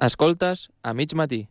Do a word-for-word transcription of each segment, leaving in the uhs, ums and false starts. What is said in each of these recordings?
Escoltes a mig matí.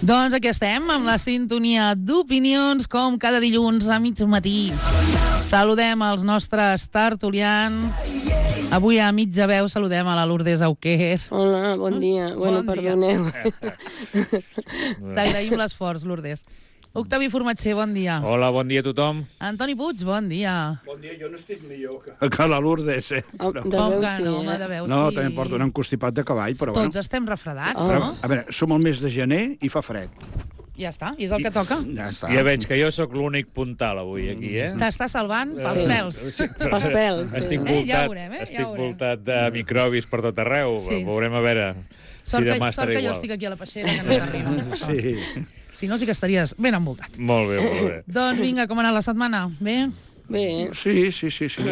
Doncs aquí estem, amb la sintonia d'opinions, com cada dilluns a mig matí. Saludem els nostres tertulians. Avui a mitja veu saludem a la Lourdes Auquer. Hola, bon dia. Bueno, bon perdoneu. T'agraïm l'esforç, Lourdes. Octavi Formatger, bon dia. Hola, bon dia a tothom. Antoni Puig, bon dia. Bon dia, jo no estic millor que, que la Lourdes, eh? Oh, de Com veu que sí, no, eh? home, de veu No, sí. també em porto un encostipat de cavall, però Tots bueno. estem refredats, Oh. no? A veure, som al mes de gener i fa fred. Ja està, i és el que toca. Ja està. Ja veig que jo sóc l'únic puntal avui aquí, eh? T'està salvant pels Sí. pèls. Sí, però Pels pèls, sí. Estic Eh, ja voltat, ho veurem, eh? Ja estic ho veurem. voltat de microbis per tot arreu. Sí. Veurem a veure si Sort que, demà sort estaré que jo igual. estic aquí a la peixera, que no t'arriba. Sí. Si no, sí que estaries ben envoltat. Molt bé, molt bé. Doncs vinga, com ha anat la setmana? Bé? Bé, Sí, sí, sí, sí.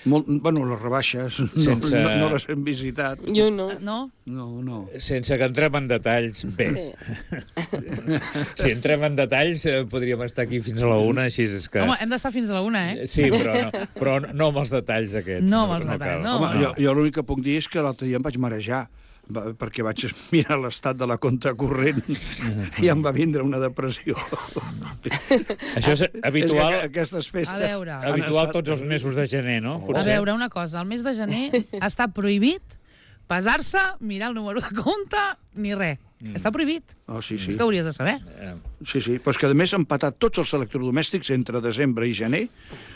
Molt, bueno, les rebaixes no, Sense- no, no les hem visitat. jo no. No? No, no. Sense que entrem en detalls, bé. Sí. Si entrem en detalls, eh, podríem estar aquí fins a la una, així és que... Home, hem d'estar fins a la una, eh? Sí, però no, però no amb els detalls aquests. No amb els detalls, cal. no. Home, jo, jo l'únic que puc dir és que l'altre dia em vaig marejar, va- perquè vaig mirar l'estat de la compta corrent i em va vindre una depressió. Això és habitual, És que aquestes festes... A veure. han habitual estat- tots els mesos de gener, no? A veure, una cosa, el mes de gener està prohibit pesar-se, mirar el número de compte, ni res. Mm. Està prohibit. Oh, sí, sí. És que hauries de saber. Sí, sí, però és que a més han patat tots els electrodomèstics entre desembre i gener.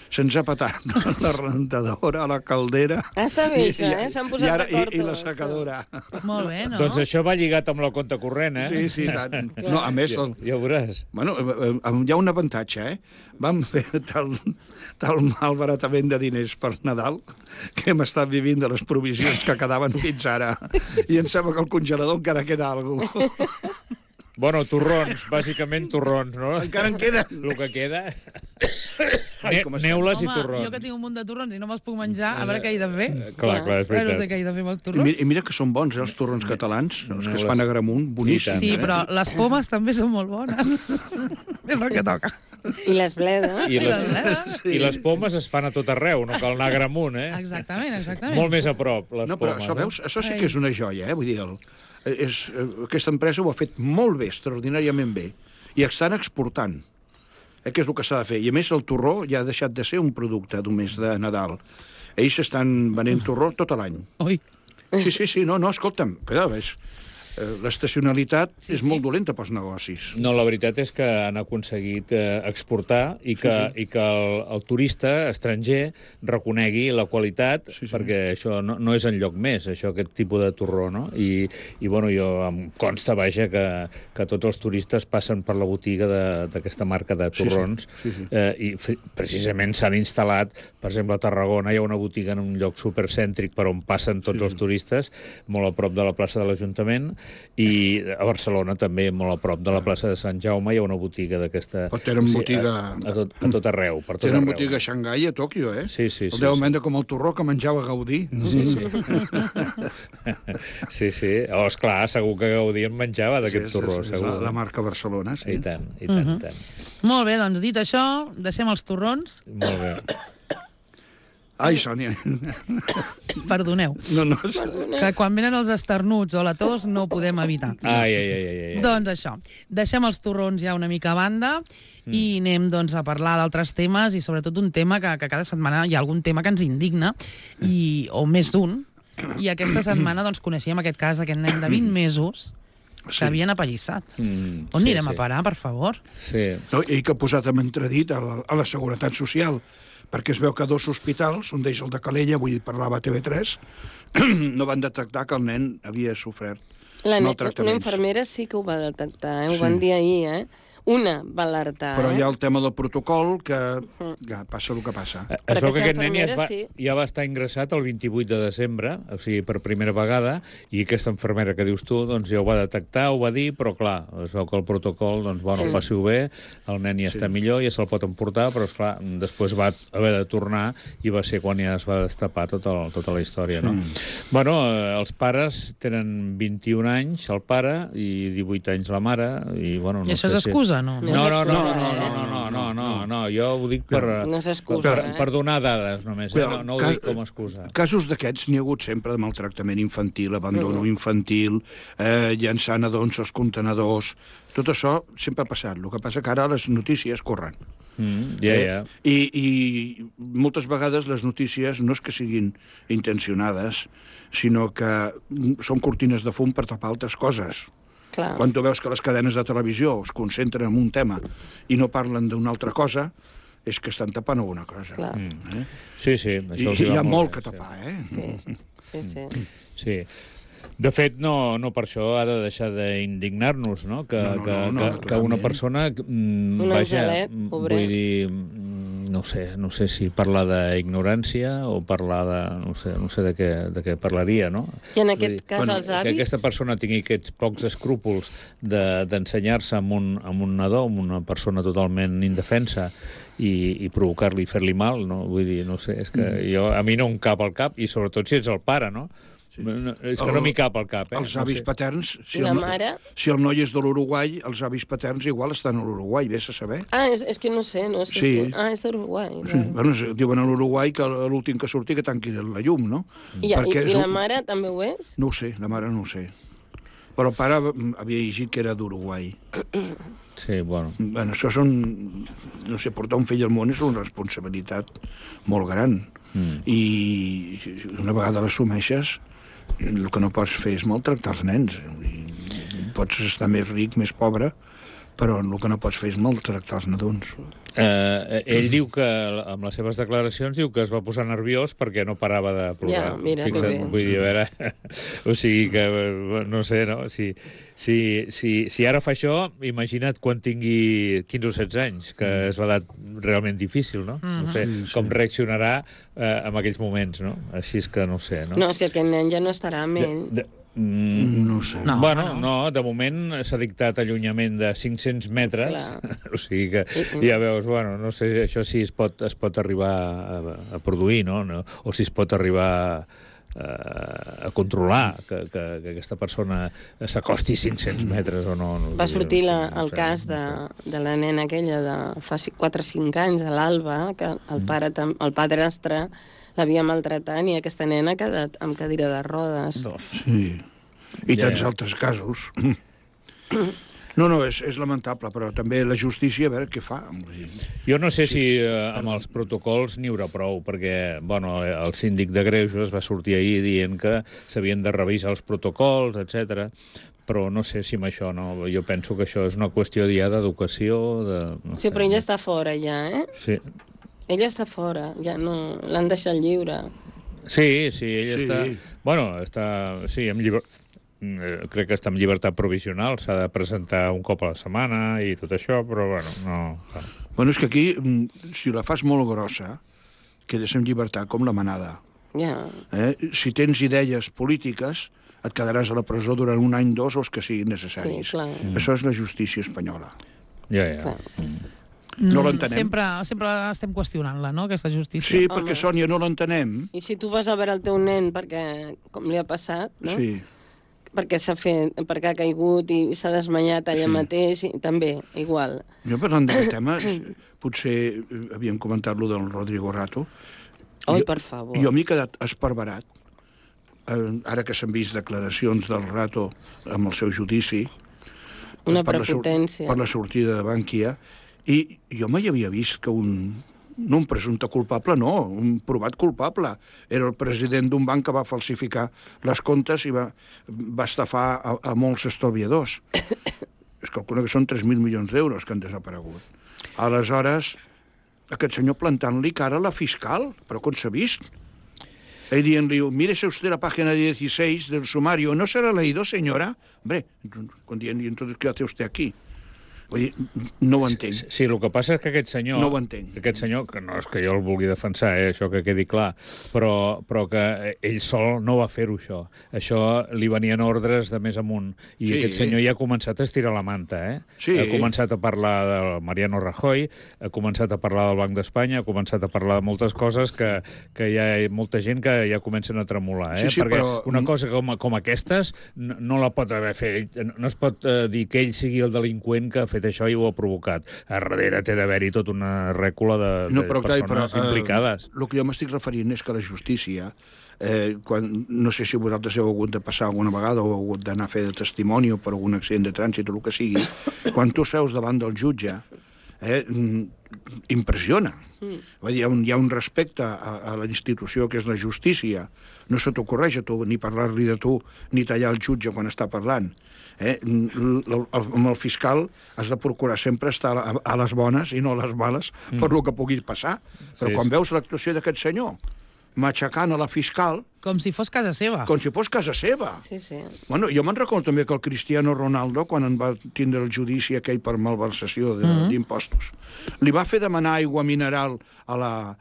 Se'ns ha patat la rentadora, la caldera... Ah, està bé, i- això, i- eh? S'han i posat ara- d'acord I, i la tots. secadora. Molt bé, no? Doncs això va lligat amb la compta corrent, eh? Sí, sí, tant. No, a més, Ja, el, ja ho veuràs. bueno, eh, eh, hi ha un avantatge, eh? Vam fer tal, tal malbaratament de diners per Nadal que hem estat vivint de les provisions que quedaven fins ara. I em sembla que al congelador encara queda alguna cosa. Bueno, torrons, bàsicament torrons, no? Encara en queden. El que queda... Ai, Ne com estem. neules i Home, torrons. jo que tinc un munt de torrons i no me'ls puc menjar, a veure què hi he de fer. Clar, clar, és Ai, no sé veritat. què hi he de fer amb els I torrons. mira, I mira que són bons, eh, els torrons catalans, els que es fan a Gramunt, boníssims. Sí, eh? però les pomes també són molt bones. És el que toca. I les bledes. I les, bledes. I les pomes es fan a tot arreu, no cal anar a Gramunt, eh? Exactament, exactament. Molt més a prop, les No, però pomes. això, eh? veus, això sí que és una joia, eh? Vull dir, el, és, aquesta empresa ho ha fet molt bé, extraordinàriament bé, i estan exportant, eh, que és el que s'ha de fer. I a més el torró ja ha deixat de ser un producte només de Nadal. Ells estan venent torró tot l'any. Ui. Sí, sí, sí, no, no, escolta'm, cuidado, és... eh, l'estacionalitat Sí, és sí. molt dolenta pels negocis. No, la veritat és que han aconseguit eh, exportar i que, sí, sí. i que el, el turista estranger reconegui la qualitat, sí, sí. perquè això no, no és enlloc més, això, aquest tipus de torró, no? I, i bueno, jo em consta, vaja, que, que tots els turistes passen per la botiga de- d'aquesta marca de torrons, Sí, sí, sí, sí. Eh, i f- precisament s'han instal·lat, per exemple, a Tarragona hi ha una botiga en un lloc supercèntric per on passen tots Sí, sí. els turistes, molt a prop de la plaça de l'Ajuntament, i a Barcelona també, molt a prop de la plaça de Sant Jaume, hi ha una botiga d'aquesta... Però tenen botiga- A, a, tot, a tot arreu, per tot Tenen arreu. botiga a Xangai, a Tòquio, eh? Sí, sí, sí, El deuen sí. vendre com el torró que menjava Gaudí. Sí, sí. sí, sí. Oh, esclar, segur que Gaudí en menjava d'aquest Sí, torró, és, és segur. la, la marca Barcelona, sí. I tant, i tant, Mhm. i tant. Molt bé, doncs dit això, deixem els torrons. Molt bé. Ai, Sònia. Perdoneu. No, no. Que quan venen els esternuts o la tos no ho podem evitar. Ai, ai, ai, ai, ai. Doncs això, deixem els torrons ja una mica a banda mm. i anem doncs, a parlar d'altres temes i sobretot un tema que, que cada setmana hi ha algun tema que ens indigna, i, o més d'un, i aquesta setmana doncs, coneixíem aquest cas d'aquest nen de vint mesos que Sí. havien apallissat. Mm, On sí, anirem sí. a parar, per favor? Sí. No, i que ha posat en entredit a la, a la Seguretat Social, perquè es veu que dos hospitals, un d'ells el de Calella, vull dir, parlava a T V tres, no van detectar que el nen havia sofert La ne- una maltractaments. infermera sí que ho va detectar, eh? ho Sí. van dir ahir, eh? Una va alertar, Però eh? hi ha el tema del protocol, que ja passa el que passa. Es Però veu que aquesta aquest nen ja, es va, infermera sí. ja va estar ingressat el vint-i-vuit de desembre, o sigui, per primera vegada, i aquesta infermera que dius tu, doncs ja ho va detectar, ho va dir, però clar, es veu que el protocol, doncs, bueno, Sí. passi-ho bé, el nen ja està millor, ja se'l pot emportar, però, esclar, després va haver de tornar i va ser quan ja es va destapar tota, el, tota la història, no? Bueno, eh, els pares tenen vint-i-un anys, el pare, i divuit anys la mare, i, bueno, no I això sé és excusa, no? No. No, no, no, no, excusa, no, eh? no, no, no, no, no, jo ho dic per, No s'excusa, per, eh? per donar dades només, eh? no, no ho Ca- dic com a excusa. Casos d'aquests n'hi ha hagut sempre de maltractament infantil, abandono infantil, eh, llançant nadons als contenedors. Tot això sempre ha passat. El que passa que ara les notícies corren. Mm, ja, ja. I, I moltes vegades les notícies no és que siguin intencionades, sinó que són cortines de fum per tapar altres coses. Clar. Quan tu veus que les cadenes de televisió es concentren en un tema i no parlen d'una altra cosa, és que estan tapant alguna cosa. Clar. Eh? Sí, sí. I, Això els I hi va ha molt bé, que tapar, eh? Sí, sí, sí. Sí. De fet, no, no per això ha de deixar d'indignar-nos, no? Que, No, no, que, no, no, que, que una naturalment. persona... Mm, Un vaja, angelet, mm, pobret. vull dir, mm, no sé, no sé si parlar d'ignorància o parlar de... No sé, no sé de, què, de què parlaria, no? I en Vull aquest dir, cas bueno, els que avis... aquesta persona tingui aquests pocs escrúpols de- d'ensenyar-se amb, un, amb un nadó, amb una persona totalment indefensa, i, i provocar-li i fer-li mal, no? Vull dir, no sé, és que jo, a mi no em cap al cap, i sobretot si ets el pare, no? No, no, és que El- no m'hi cap al cap, eh? Els No avis sé. paterns, si I la el, mare? si el noi és de l'Uruguai, els avis paterns igual estan a l'Uruguai, vés a saber. Ah, és, és que no sé, no sé Sí. si... Ah, és d'Uruguai. Sí. Bueno, es- diuen a l'Uruguai que l'últim que surti que tanqui la llum, no? I, i, Perquè i és la un- mare també ho és? No ho sé, la mare no ho sé. Però el pare mm, havia llegit que era d'Uruguai. Sí, bueno. Bueno, això són... No sé, portar un fill al món és una responsabilitat molt gran. Mm. I una vegada l'assumeixes, el que no pots fer és maltractar els nens. I pots estar més ric, més pobre, però el que no pots fer és maltractar els nadons. Eh, ell diu que, amb les seves declaracions, diu que es va posar nerviós perquè no parava de plorar. Ja, mira, que Fixa't, bé. vull dir, a veure... o sigui que, no sé, no? Si, si, si, si ara fa això, imagina't quan tingui quinze o setze anys, que és l'edat realment difícil, no? No sé com reaccionarà eh, en aquells moments, no? Així és que no sé, no? No, és que aquest nen ja no estarà amb ell. De, mm, No ho sé. No, bueno, no. no, de moment s'ha dictat allunyament de cinc-cents metres, Clar. o sigui que ja veus, bueno, no sé això si es pot, es pot arribar a, a produir, no? no? O si es pot arribar a, a controlar que, que, que aquesta persona s'acosti cinc-cents metres o no. no Va sortir la, no el sé, cas de, no sé. de la nena aquella de fa quatre o cinc anys, a l'Alba, que el, pare, tam- el padrastre l'havia maltratat i aquesta nena ha quedat amb cadira de rodes. Sí. I Ja, tants ja. altres casos. No, no, és, és lamentable, però també la justícia, a veure què fa. Vull dir, Jo no sé sí. si eh, amb els protocols n'hi haurà prou, perquè bueno, el síndic de Greuges va sortir ahir dient que s'havien de revisar els protocols, etcètera. Però no sé si amb això no. Jo penso que això és una qüestió ja d'educació. De, no Sí, sé. però ella està fora ja, eh? Sí. Ella està fora, ja no... L'han deixat lliure. Sí, sí, ell Sí. està... Bueno, està... Sí, amb lliber... eh, crec que està en llibertat provisional, s'ha de presentar un cop a la setmana i tot això, però, bueno, no... clar. Bueno, és que aquí, mm, si la fas molt grossa, quedes en llibertat com la manada. Ja. Eh? Si tens idees polítiques, et quedaràs a la presó durant un any, dos, o els que siguin necessaris. Sí, clar. Això és la justícia espanyola. Ja, ja. Clar. No l'entenem. Sempre, sempre estem qüestionant-la, no?, aquesta justícia. Sí, Home. perquè, Sònia, no l'entenem. I si tu vas a veure el teu nen perquè, com li ha passat, no? Sí. Perquè s'ha fet, perquè ha caigut i s'ha desmanyat allà Sí. mateix, i també, igual. Jo, parlant d'aquest tema, potser eh, havíem comentat lo del Rodrigo Rato, Oi, Jo- per favor. Jo m'he quedat esparverat, eh, ara que s'han vist declaracions del Rato amb el seu judici, Una per la sor- prepotència. per la sortida de Bankia, i jo mai havia vist que un, no un presumpte culpable, no, un provat culpable. Era el president d'un banc que va falsificar les comptes i va, va estafar a, a molts estalviadors. Es calcula que són tres mil milions d'euros que han desaparegut. Aleshores, aquest senyor plantant-li cara a la fiscal, però com s'ha vist? Y dient-li, mírese usted la página dieciséis del sumario, ¿no se la ha leído, señora? Hombre, con dient, ¿y entonces qué hace usted aquí? Vull dir, no ho entenc. Sí, sí, el que passa és que aquest senyor... No ho entenc. Aquest senyor, que no és que jo el vulgui defensar, eh, això que quedi clar, però, però que ell sol no va fer-ho, això. Això li venien ordres de més amunt. I Sí. aquest senyor ja ha començat a estirar la manta, eh? Sí. Ha començat a parlar del Mariano Rajoy, ha començat a parlar del Banc d'Espanya, ha començat a parlar de moltes coses que, que hi ha molta gent que ja comencen a tremolar, eh? Sí, sí, Perquè però- una cosa com, com aquestes no, no la pot haver fet. No es pot eh, dir que ell sigui el delinqüent que ha fet això i ho ha provocat. A darrere té d'haver-hi tota una rècula de, No, de però, clar, persones però, eh, implicades. El que jo m'estic referint és que la justícia, eh, quan, no sé si vosaltres heu hagut de passar alguna vegada o heu hagut d'anar a fer de testimoni o per algun accident de trànsit o el que sigui, quan tu seus davant del jutge, eh, mm, impressiona. Mm. Vull dir, hi ha un, hi ha un respecte a, a la institució que és la justícia. No se t'ocorreix a tu ni parlar-li de tu ni tallar el jutge quan està parlant. Eh? El, el, amb el fiscal has de procurar sempre estar a, a les bones i no a les males mm. per lo que pugui passar. Però Sí, quan sí. veus l'actuació d'aquest senyor matxacant a la fiscal Com si fos casa seva. com si fos casa seva. Sí, sí. Bueno, jo me'n recordo també que el Cristiano Ronaldo, quan en va tindre el judici aquell per malversació d'impostos, mm -hmm. li va fer demanar aigua mineral a la...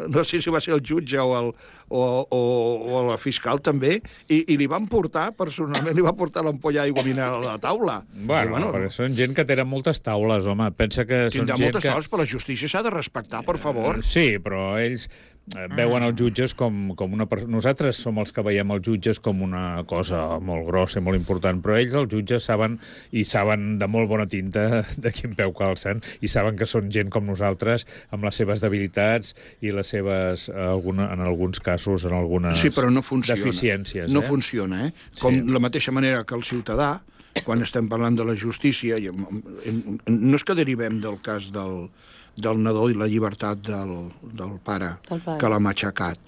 no sé si va ser el jutge o, el, o, o, o a la fiscal també, i, i li van portar, personalment, li va portar l'ampolla d'aigua mineral a la taula. Bueno, I, bueno perquè són gent que tenen moltes taules, home. Pensa que són tindrà gent moltes que... taules, però la justícia s'ha de respectar, per favor. Sí, però ells eh, veuen els jutges com, com una persona... Nosaltres som els que veiem els jutges com una cosa molt grossa i molt important, però ells, els jutges, saben i saben de molt bona tinta de quin peu calcen i saben que són gent com nosaltres amb les seves debilitats i les seves, alguna, en alguns casos, en algunes Sí, però no funciona. deficiències. No eh? funciona, eh? Com Sí. la mateixa manera que el ciutadà, quan estem parlant de la justícia, i em- em- no és que derivem del cas del, del nadó i la llibertat del, del pare, Del pare. que l'ha matxacat.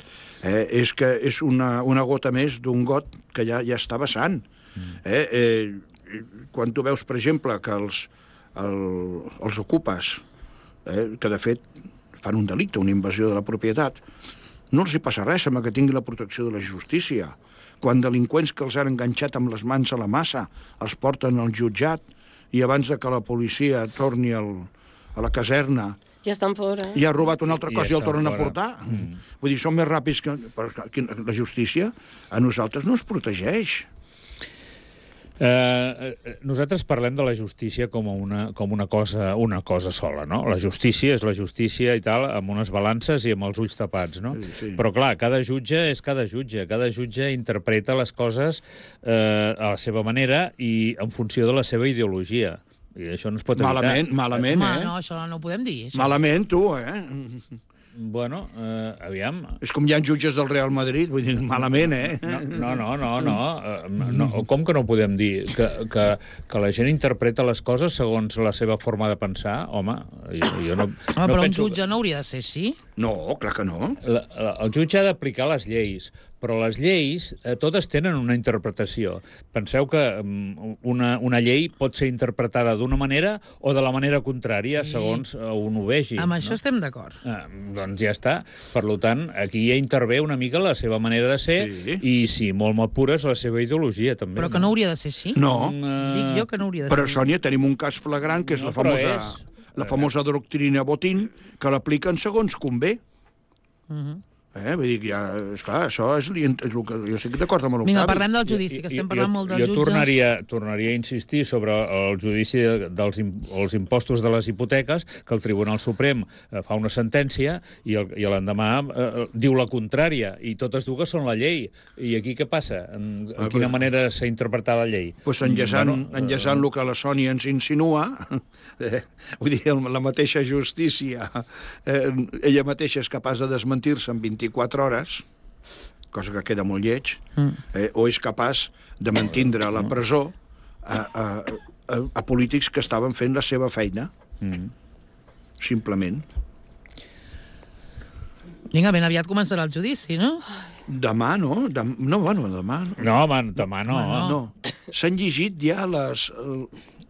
Eh? És que és una, una gota més d'un got que ja, ja està vessant. Eh? Eh, quan tu veus, per exemple, que els, el, els ocupes, eh, que de fet fan un delicte, una invasió de la propietat, no els hi passa res, sembla que tingui la protecció de la justícia. Quan delinqüents que els han enganxat amb les mans a la massa els porten al jutjat i abans de que la policia torni al, a la caserna Ja estan fora. i ha robat una altra I cosa i el estan tornen a fora. portar. Mm. Vull dir, són més ràpids que... Però aquí la justícia a nosaltres no ens protegeix. Eh, eh, nosaltres parlem de la justícia com una, com una, cosa, una cosa sola, no? La justícia és la justícia i tal, amb unes balances i amb els ulls tapats, no? Sí, sí. Però, clar, cada jutge és cada jutge. Cada jutge interpreta les coses eh, a la seva manera i en funció de la seva ideologia. I això no es pot evitar. Malament, malament, Home, eh? no, això no ho podem dir. Això. Malament, tu, eh? Bueno, eh, aviam... És com hi ha jutges del Real Madrid, vull dir, malament, eh? No, no, no, no, no. Eh, no. Com que no podem dir? Que, que, que la gent interpreta les coses segons la seva forma de pensar? Home, jo, jo no, Home, no però un penso... jutge no hauria de ser així. No, clar que no. La, la, el jutge ha d'aplicar les lleis, però les lleis eh, totes tenen una interpretació. Penseu que um, una, una llei pot ser interpretada d'una manera o de la manera contrària, Sí. segons uh, un ho vegi. Amb això no? estem d'acord. Ah, doncs ja està. Per tant, aquí ja intervé una mica la seva manera de ser Sí. i, si molt m'apures, la seva ideologia, també. Però que no hauria de ser així. No. Dic jo que no hauria de Però, ser. Sònia, tenim un cas flagrant, que és No, la però famosa, és- la famosa doctrina Botín, que l'apliquen segons convé. Mhm. Eh? Vull dir que ja, esclar, això és, és el que jo estic d'acord amb l'Octavi. Vinga, parlem del judici, que estem parlant molt dels jo jutges. Tornaria, tornaria a insistir sobre el judici dels els impostos de les hipoteques, que el Tribunal Suprem eh, fa una sentència i, el, i l'endemà eh, diu la contrària, i totes dues són la llei. I aquí què passa? En, en quina manera s'ha interpretat la llei? Pues enllaçant, Bueno, enllaçant el que la Sònia ens insinua, eh, vull dir, la mateixa justícia, eh, ella mateixa és capaç de desmentir-se en vint-i-quatre hores, cosa que queda molt lleig, eh, o és capaç de mantindre a la presó a, a, a, a polítics que estaven fent la seva feina. Mm. Simplement. Vinga, ben aviat començarà el judici, no? Demà, no? Dem no, bueno, demà... No, No, home, demà no. no. S'han llegit ja les...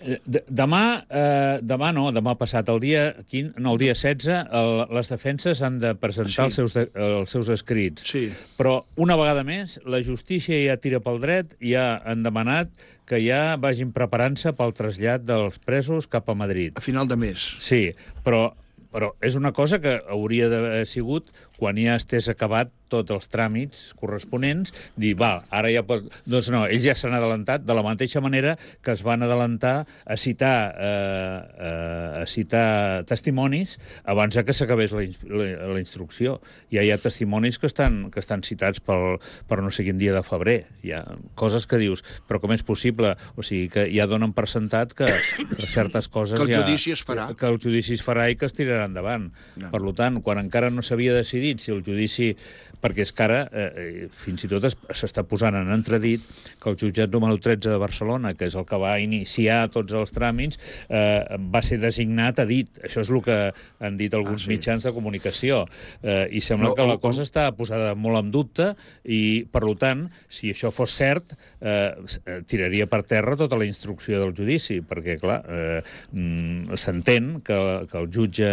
Eh, de- Demà, eh, demà no, demà passat, el dia quinze, no, el dia setze, el, les defenses han de presentar Sí. els, seus de, els seus escrits. Sí. Però, una vegada més, la justícia ja tira pel dret i ja han demanat que ja vagin preparant-se pel trasllat dels presos cap a Madrid. A final de mes. Sí, però, però és una cosa que hauria d'haver sigut quan ja estés acabat tots els tràmits corresponents, dir, va, ara ja pot... Doncs no, ells ja s'han adelantat de la mateixa manera que es van adelantar a citar, eh, eh, a citar testimonis abans que s'acabés la, ins la, la instrucció. Ja hi ha testimonis que estan, que estan citats pel, per no sé quin dia de febrer. Hi ha coses que dius, però com és possible? O sigui, que ja donen per sentat que certes coses Que el ja... judici es farà. Que el judici es farà i que es tirarà endavant. No. Per tant, quan encara no s'havia decidit si el judici... Perquè és que ara, eh, fins i tot s'està posant en entredit que el jutjat número tretze de Barcelona, que és el que va iniciar tots els tràmits, eh, va ser designat a dit. Això és el que han dit alguns Ah, sí. mitjans de comunicació. Eh, I sembla No, que la o- cosa està posada molt en dubte i, per tant, si això fos cert, eh, tiraria per terra tota la instrucció del judici, perquè, clar, eh, mm, s'entén que, que el jutge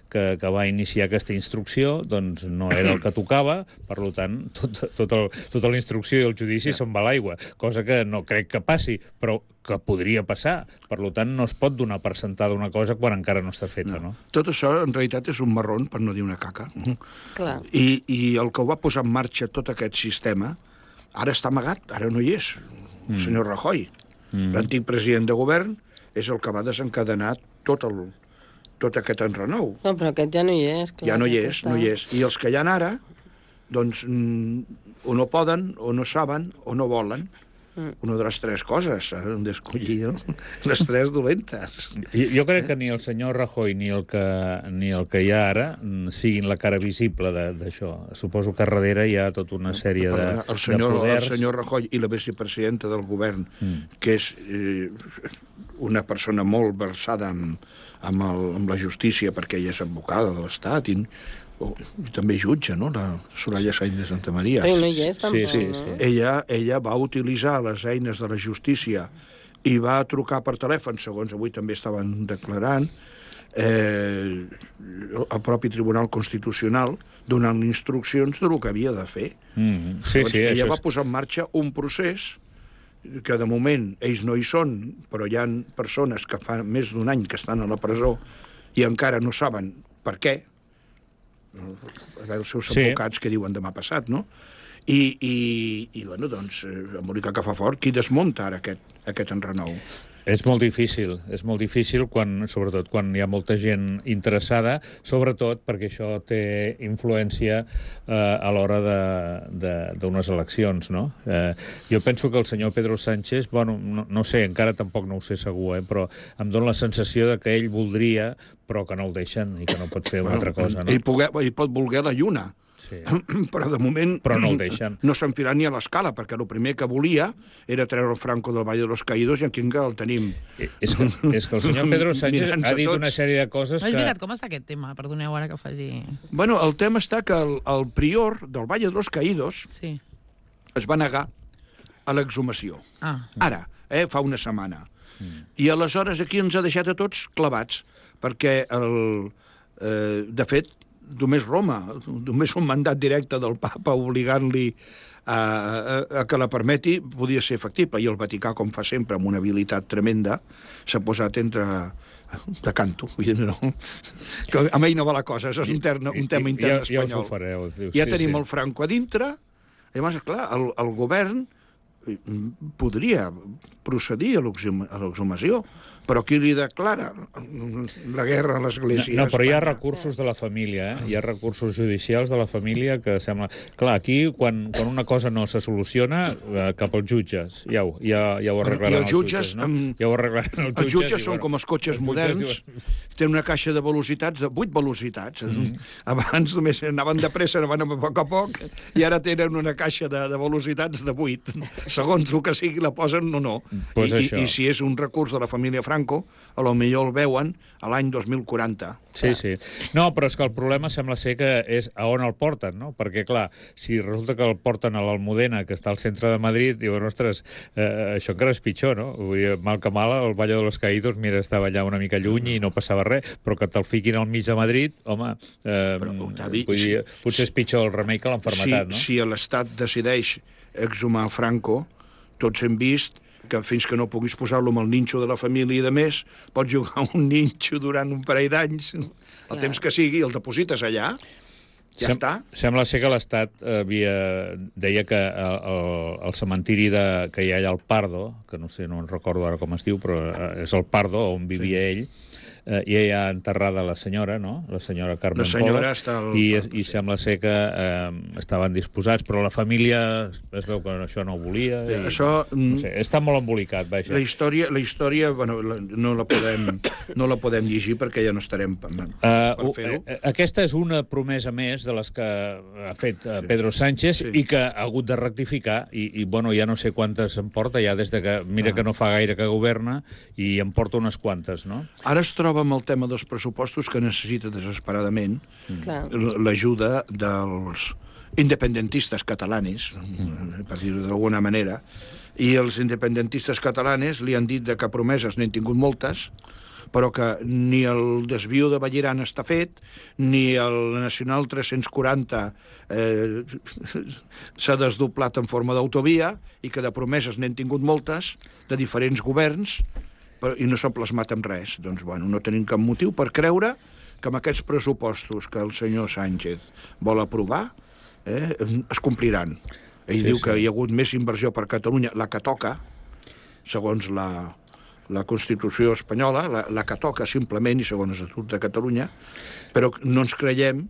que, que va iniciar aquesta instrucció doncs no era el que tocava, per tant, tot, tot el, tota la instrucció i el judici se'n va a l'aigua, cosa que no crec que passi, però que podria passar. Per tant, no es pot donar per sentada una cosa quan encara no està feta, no? Tot això, en realitat, és un marrón, per no dir una caca. Clar. I, I el que ho va posar en marxa tot aquest sistema, ara està amagat, ara no hi és. El senyor Rajoy, l'antic president de govern, és el que va desencadenar tot, el, tot aquest enrenou. No, però aquest ja no hi és. Clar, Ja no hi aquest és, no hi és. I els que hi ha ara, doncs, mm, o no poden, o no saben, o no volen. Una de les tres coses, han d'escollir, no? Les tres dolentes. Jo, jo crec que ni el senyor Rajoy ni el que, ni el que hi ha ara mm, siguin la cara visible de- d'això. Suposo que darrere hi ha tota una sèrie de, Perdona, el senyor, de poders. el senyor Rajoy i la vicepresidenta del govern, mm. que és eh, una persona molt versada amb, amb, el, amb la justícia, perquè ella és advocada de l'Estat i, o, i també jutge, no?, la Soraya Sáenz de Santa Maria. Però no hi és, tampoc, sí, no? sí. Ella, ella va utilitzar les eines de la justícia i va trucar per telèfon, segons avui també estaven declarant, eh, al propi Tribunal Constitucional, donant instruccions de lo que havia de fer. Mm, sí, Llavors, sí, ella això va és... posar en marxa un procés que de moment ells no hi són, però hi ha persones que fa més d'un any que estan a la presó i encara no saben per què. A veure els seus Sí. advocats que diuen demà passat, no? I, i, i bueno, doncs, eh, amb l'única que fa fort, qui desmunta ara aquest, aquest enrenou? És molt difícil, és molt difícil, quan, sobretot quan hi ha molta gent interessada, sobretot perquè això té influència eh, a l'hora d'unes eleccions, no? Eh, jo penso que el senyor Pedro Sánchez, bueno, no, no sé, encara tampoc no ho sé segur, eh, però em dóna la sensació de que ell voldria, però que no el deixen i que no pot fer una altra cosa, no? Ell, poguer, ell pot voler la lluna, Sí. però de moment Però no el deixen. no s'enfilarà ni a l'escala, perquè el primer que volia era treure el Franco del Valle de los Caídos i aquí encara el tenim. Eh, És que, és que el senyor Pedro Sánchez Mirant-se ha dit tots. una sèrie de coses No, és que... veritat, com està aquest tema? Perdoneu ara que faci... Bueno, el tema està que el, el prior del Valle de los Caídos Sí. es va negar a l'exhumació. Ah, Ara, eh, fa una setmana. I aleshores aquí ens ha deixat a tots clavats, perquè, el, eh, de fet, només Roma, només un mandat directe del papa obligant-li a, a, a que la permeti podia ser factible, i el Vaticà, com fa sempre, amb una habilitat tremenda, s'ha posat entre, de canto, vull dir, no. Que amb ell no va la cosa, això és un, terme, un tema intern ja, ja espanyol. us ho fareu. Diu, ja sí, tenim sí. el Franco a dintre, i llavors, clar, el, el govern podria procedir a l'exhumació, però qui li declara la guerra a l'Església? No, no, però hi ha recursos de la família, eh? Hi ha recursos judicials de la família que sembla... Clar, aquí, quan, quan una cosa no se soluciona, eh, cap als jutges. Ja ho, ja, ja ho arreglaran els jutges, no? Amb... Ja ho arreglaran els jutges. Els jutges són bueno, com els cotxes els moderns, diuen... tenen una caixa de velocitats, de vuit velocitats. Mm. Abans només anaven de pressa, anaven a poc a poc, i ara tenen una caixa de, de velocitats de vuit. Segons el que sigui, la posen o no. Pues I, això. i, I si és un recurs de la família Franco, a lo millor el veuen a l'any dos mil quaranta. Sí, sí. No, però és que el problema sembla ser que és a on el porten, no? Perquè, clar, si resulta que el porten a l'Almudena, que està al centre de Madrid, diuen, ostres, eh, això encara és pitjor, no? Vull dir, mal que mal, el Valle de los Caídos, mira, estava allà una mica lluny i no passava res, però que te'l fiquin al mig de Madrid, home, eh, Però, Octavi, vull dir, potser és pitjor el remei que l'enfermetat, no? Si, si l'Estat decideix exhumar Franco, tots hem vist que fins que no puguis posar-lo amb el ninxo de la família i de més, pots jugar un ninxo durant un parell d'anys, el Clar. temps que sigui, el deposites allà, ja Sem està. Sembla ser que l'Estat havia... deia que el, el, el cementiri de, que hi ha allà al Pardo, que no sé, no en recordo ara com es diu, però és el Pardo, on vivia sí. ell, eh, i hi ha enterrada la senyora, no? La senyora Carmen La senyora Pola, està al i, Pardo, i sí. sembla ser que eh, estaven disposats, però la família es veu que això no ho volia. I, Això, no sé, està molt embolicat, vaja. La història, la història bueno, la, no, la podem, no la podem llegir perquè ja no estarem per, per Uh, fer-ho. uh, aquesta és una promesa més de les que ha fet uh, Pedro Sánchez Sí. i que ha hagut de rectificar i, i bueno, ja no sé quantes en porta ja des de que, mira Ah. que no fa gaire que governa i en porta unes quantes, no? Ara es troba amb el tema dels pressupostos que necessita desesperadament Clar. l'ajuda dels independentistes catalanes, per dir-ho d'alguna manera, i els independentistes catalanes li han dit de que promeses n'han tingut moltes, però que ni el desvió de Vallirana està fet, ni el Nacional tres-cents quaranta eh, s'ha desdoblat en forma d'autovia, i que de promeses n'han tingut moltes, de diferents governs, però, i no s'han plasmat en res. Doncs, bueno, no tenim cap motiu per creure que amb aquests pressupostos que el senyor Sánchez vol aprovar eh, es compliran. Ell Sí, diu sí. que hi ha hagut més inversió per Catalunya, la que toca, segons la, la Constitució espanyola, la, la que toca simplement, i segons l'Estatut de Catalunya, però no ens creiem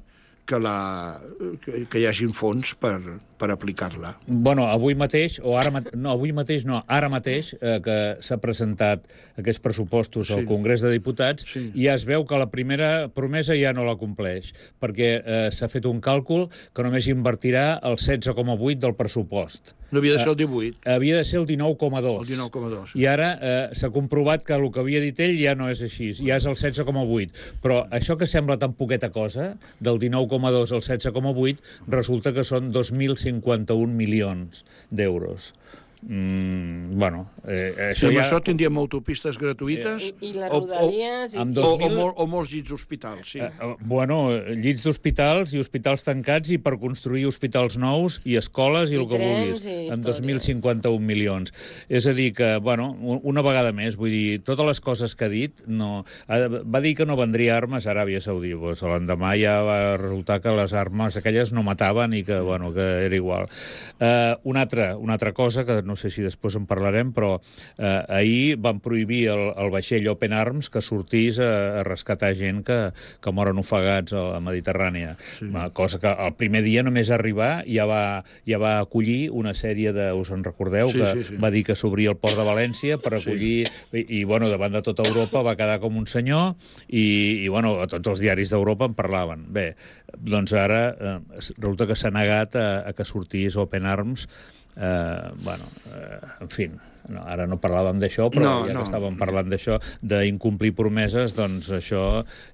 que, la, que, que hi hagin fons per, per aplicar-la. Bueno, avui mateix, o ara mate... no, avui mateix no, ara mateix, eh, que s'ha presentat aquests pressupostos Sí. al Congrés de Diputats, Sí. i ja es veu que la primera promesa ja no la compleix, perquè eh, s'ha fet un càlcul que només invertirà el setze coma vuit del pressupost. No havia de ser el divuit, Havia de ser el dinou coma dos. el dinou coma dos. I ara eh, s'ha comprovat que el que havia dit ell ja no és així, ja és el setze coma vuit. Però això que sembla tan poqueta cosa, del dinou coma dos al setze coma vuit, resulta que són dos mil cinquanta-un milions d'euros. Mm, bueno, eh, Si això amb ja... això tindríem autopistes gratuïtes I, i les o, o, rodalies... I, amb i, dos o, o, mil- mol, o molts llits d'hospitals, sí. Eh, eh, bueno, llits d'hospitals i hospitals tancats i per construir hospitals nous i escoles i, I el que trens vulguis, i amb dos mil històries. cinquanta-un milions. És a dir que, bueno, un- una vegada més, vull dir, totes les coses que ha dit, no... eh, va dir que no vendria armes a Aràbia Saudí, doncs l'endemà ja va resultar que les armes aquelles no mataven i que, bueno, que era igual. Eh, una, altra, una altra cosa, que no sé si després en parlarem, però eh, ahir van prohibir el, el vaixell Open Arms que sortís a, a rescatar gent que, que moren ofegats a la Mediterrània. Sí. Una cosa que el primer dia només arribar ja va, ja va acollir una sèrie de... Us en recordeu? Sí, que sí, sí. va dir que s'obria el port de València per acollir... Sí. I, i, bueno, davant de tota Europa va quedar com un senyor i, i bueno, tots els diaris d'Europa en parlaven. Bé, doncs ara eh, resulta que s'ha negat a, a que sortís Open Arms. Eh, bueno, eh, en fi, no, ara no parlàvem d'això, però No, ja no. que estàvem parlant d'això, d'incomplir promeses, doncs això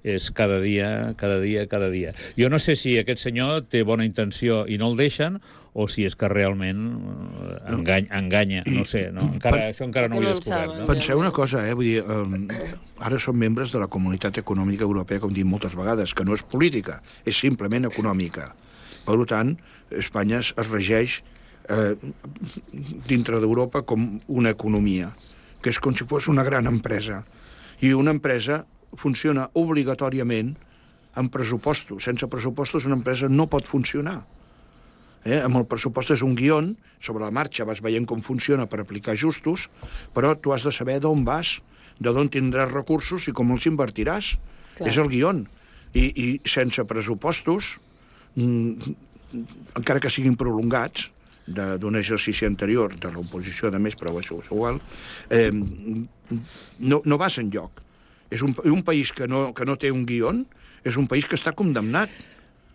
és cada dia, cada dia, cada dia. Jo no sé si aquest senyor té bona intenció i no el deixen, o si és que realment eh, enganya, enganya no sé, no? Encara, això encara no ho he No en descobert. saben. No? Penseu una cosa, eh? Vull dir, eh, ara som membres de la Comunitat Econòmica Europea, com dic moltes vegades, que no és política, és simplement econòmica. Per tant, Espanya es es regeix eh, dintre d'Europa com una economia, que és com si fos una gran empresa. I una empresa funciona obligatòriament amb pressupostos. Sense pressupostos una empresa no pot funcionar. Eh? Amb el pressupost és un guió, sobre la marxa vas veient com funciona per aplicar ajustos, però tu has de saber d'on vas, de d'on tindràs recursos i com els invertiràs. Clar. És el guió. I, i sense pressupostos, mm, encara que siguin prolongats, d'un exercici anterior, de l'oposició de més, però això és igual, eh, no, no vas enlloc. És un, un país que no, que no té un guió, és un país que està condemnat.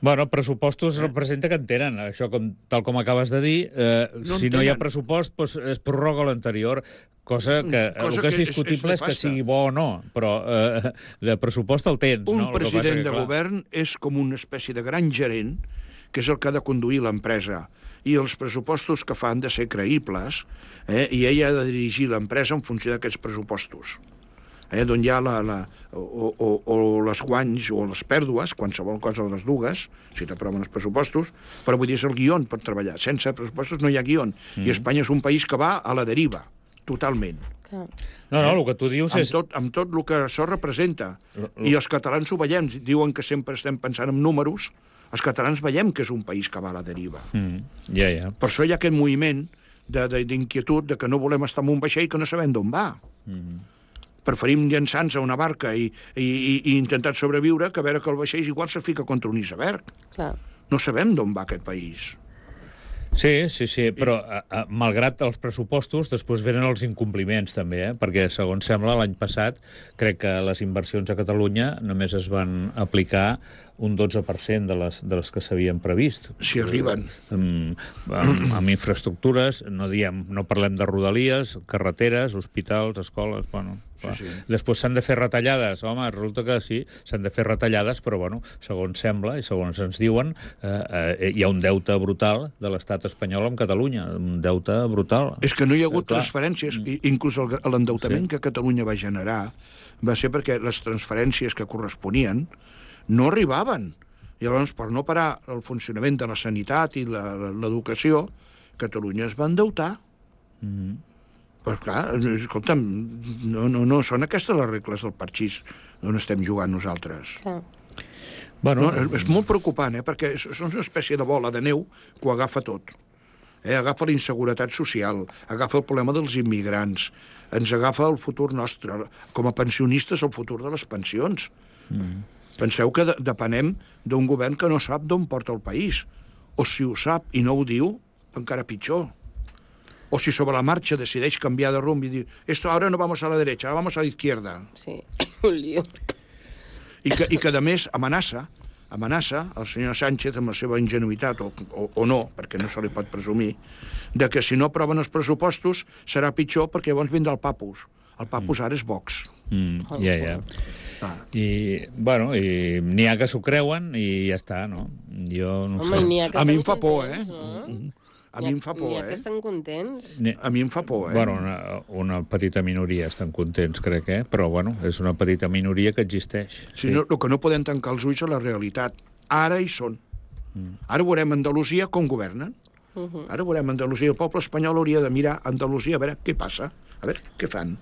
Bueno, pressupostos representa que en tenen. Això, com, tal com acabes de dir, eh, no si no hi ha pressupost, doncs es prorroga l'anterior, cosa que cosa el que és discutible és, és, és que sigui bo o no, però eh, de pressupost el tens. Un no? president que, de govern és com una espècie de gran gerent, que és el que ha de conduir l'empresa, i els pressupostos que fa han de ser creïbles, eh, i ell ha de dirigir l'empresa en funció d'aquests pressupostos. Eh, d'on hi ha la, la, o, o, o les guanys o les pèrdues, qualsevol cosa de les dues, si t'aproven els pressupostos, però vull dir, és el guió per treballar. Sense pressupostos no hi ha guió. Mm. I Espanya és un país que va a la deriva, totalment. No, no, el que tu dius amb és... Tot, amb tot el que això representa. L I els catalans ho veiem, diuen que sempre estem pensant en números, els catalans veiem que és un país que va a la deriva. Mm. Yeah, yeah. Per això hi ha aquest moviment d'inquietud de, de que no volem estar en un vaixell que no sabem d'on va. Mm. Preferim llançar-nos a una barca i, i, i intentar sobreviure que a veure que el vaixell igual se fica contra un iceberg. Clar. No sabem d'on va aquest país. Sí, sí, sí, però a, a, malgrat els pressupostos, després venen els incompliments també, eh? Perquè, segons sembla, l'any passat crec que les inversions a Catalunya només es van aplicar un dotze per cent de les, de les que s'havien previst. Si arriben. Amb, amb, amb infraestructures, no diem, no parlem de rodalies, carreteres, hospitals, escoles, bueno... Sí, sí. Després s'han de fer retallades. Home, resulta que sí, s'han de fer retallades, però, bueno, segons sembla i segons ens diuen, eh, eh, hi ha un deute brutal de l'estat espanyol amb Catalunya, un deute brutal. És que no hi ha hagut eh, transferències, mm. inclús l'endeutament sí. que Catalunya va generar va ser perquè les transferències que corresponien no arribaven. I llavors, per no parar el funcionament de la sanitat i l'educació, Catalunya es va endeutar. Mm. Però, clar, escolta'm, no, no, no són aquestes les regles del parxís on estem jugant nosaltres. Ah. Bueno, no, és, és molt preocupant, eh, perquè és, és una espècie de bola de neu que ho agafa tot. Eh, agafa la inseguretat social, agafa el problema dels immigrants, ens agafa el futur nostre. Com a pensionistes, el futur de les pensions. Mm. Penseu que de, depenem d'un govern que no sap d'on porta el país. O si ho sap i no ho diu, encara pitjor. O si sobre la marxa decideix canviar de rumb i dir esto ahora no vamos a la derecha, vamos a la izquierda. Sí, un lío. I que, i que a més amenaça, amenaça el senyor Sánchez amb la seva ingenuïtat, o, o, o no, perquè no se li pot presumir, de que si no aproven els pressupostos serà pitjor perquè llavors vindrà el papus. El papus ara és Vox. Mm, ja, ja. Ah. I, bueno, i n'hi ha que s'ho creuen i ja està, no? Jo no Home, sé. A mi em fa por, eh? No? A mi em fa por, eh? eh? que estan contents. A mi em fa por, eh? Bueno, una, una petita minoria estan contents, crec, eh? Però, bueno, és una petita minoria que existeix. Sí, sí. No, el que no podem tancar els ulls a la realitat. Ara hi són. Mm. Ara veurem Andalusia com governen. Uh -huh. Ara veurem Andalusia. El poble espanyol hauria de mirar Andalusia a veure què passa, a veure què fan.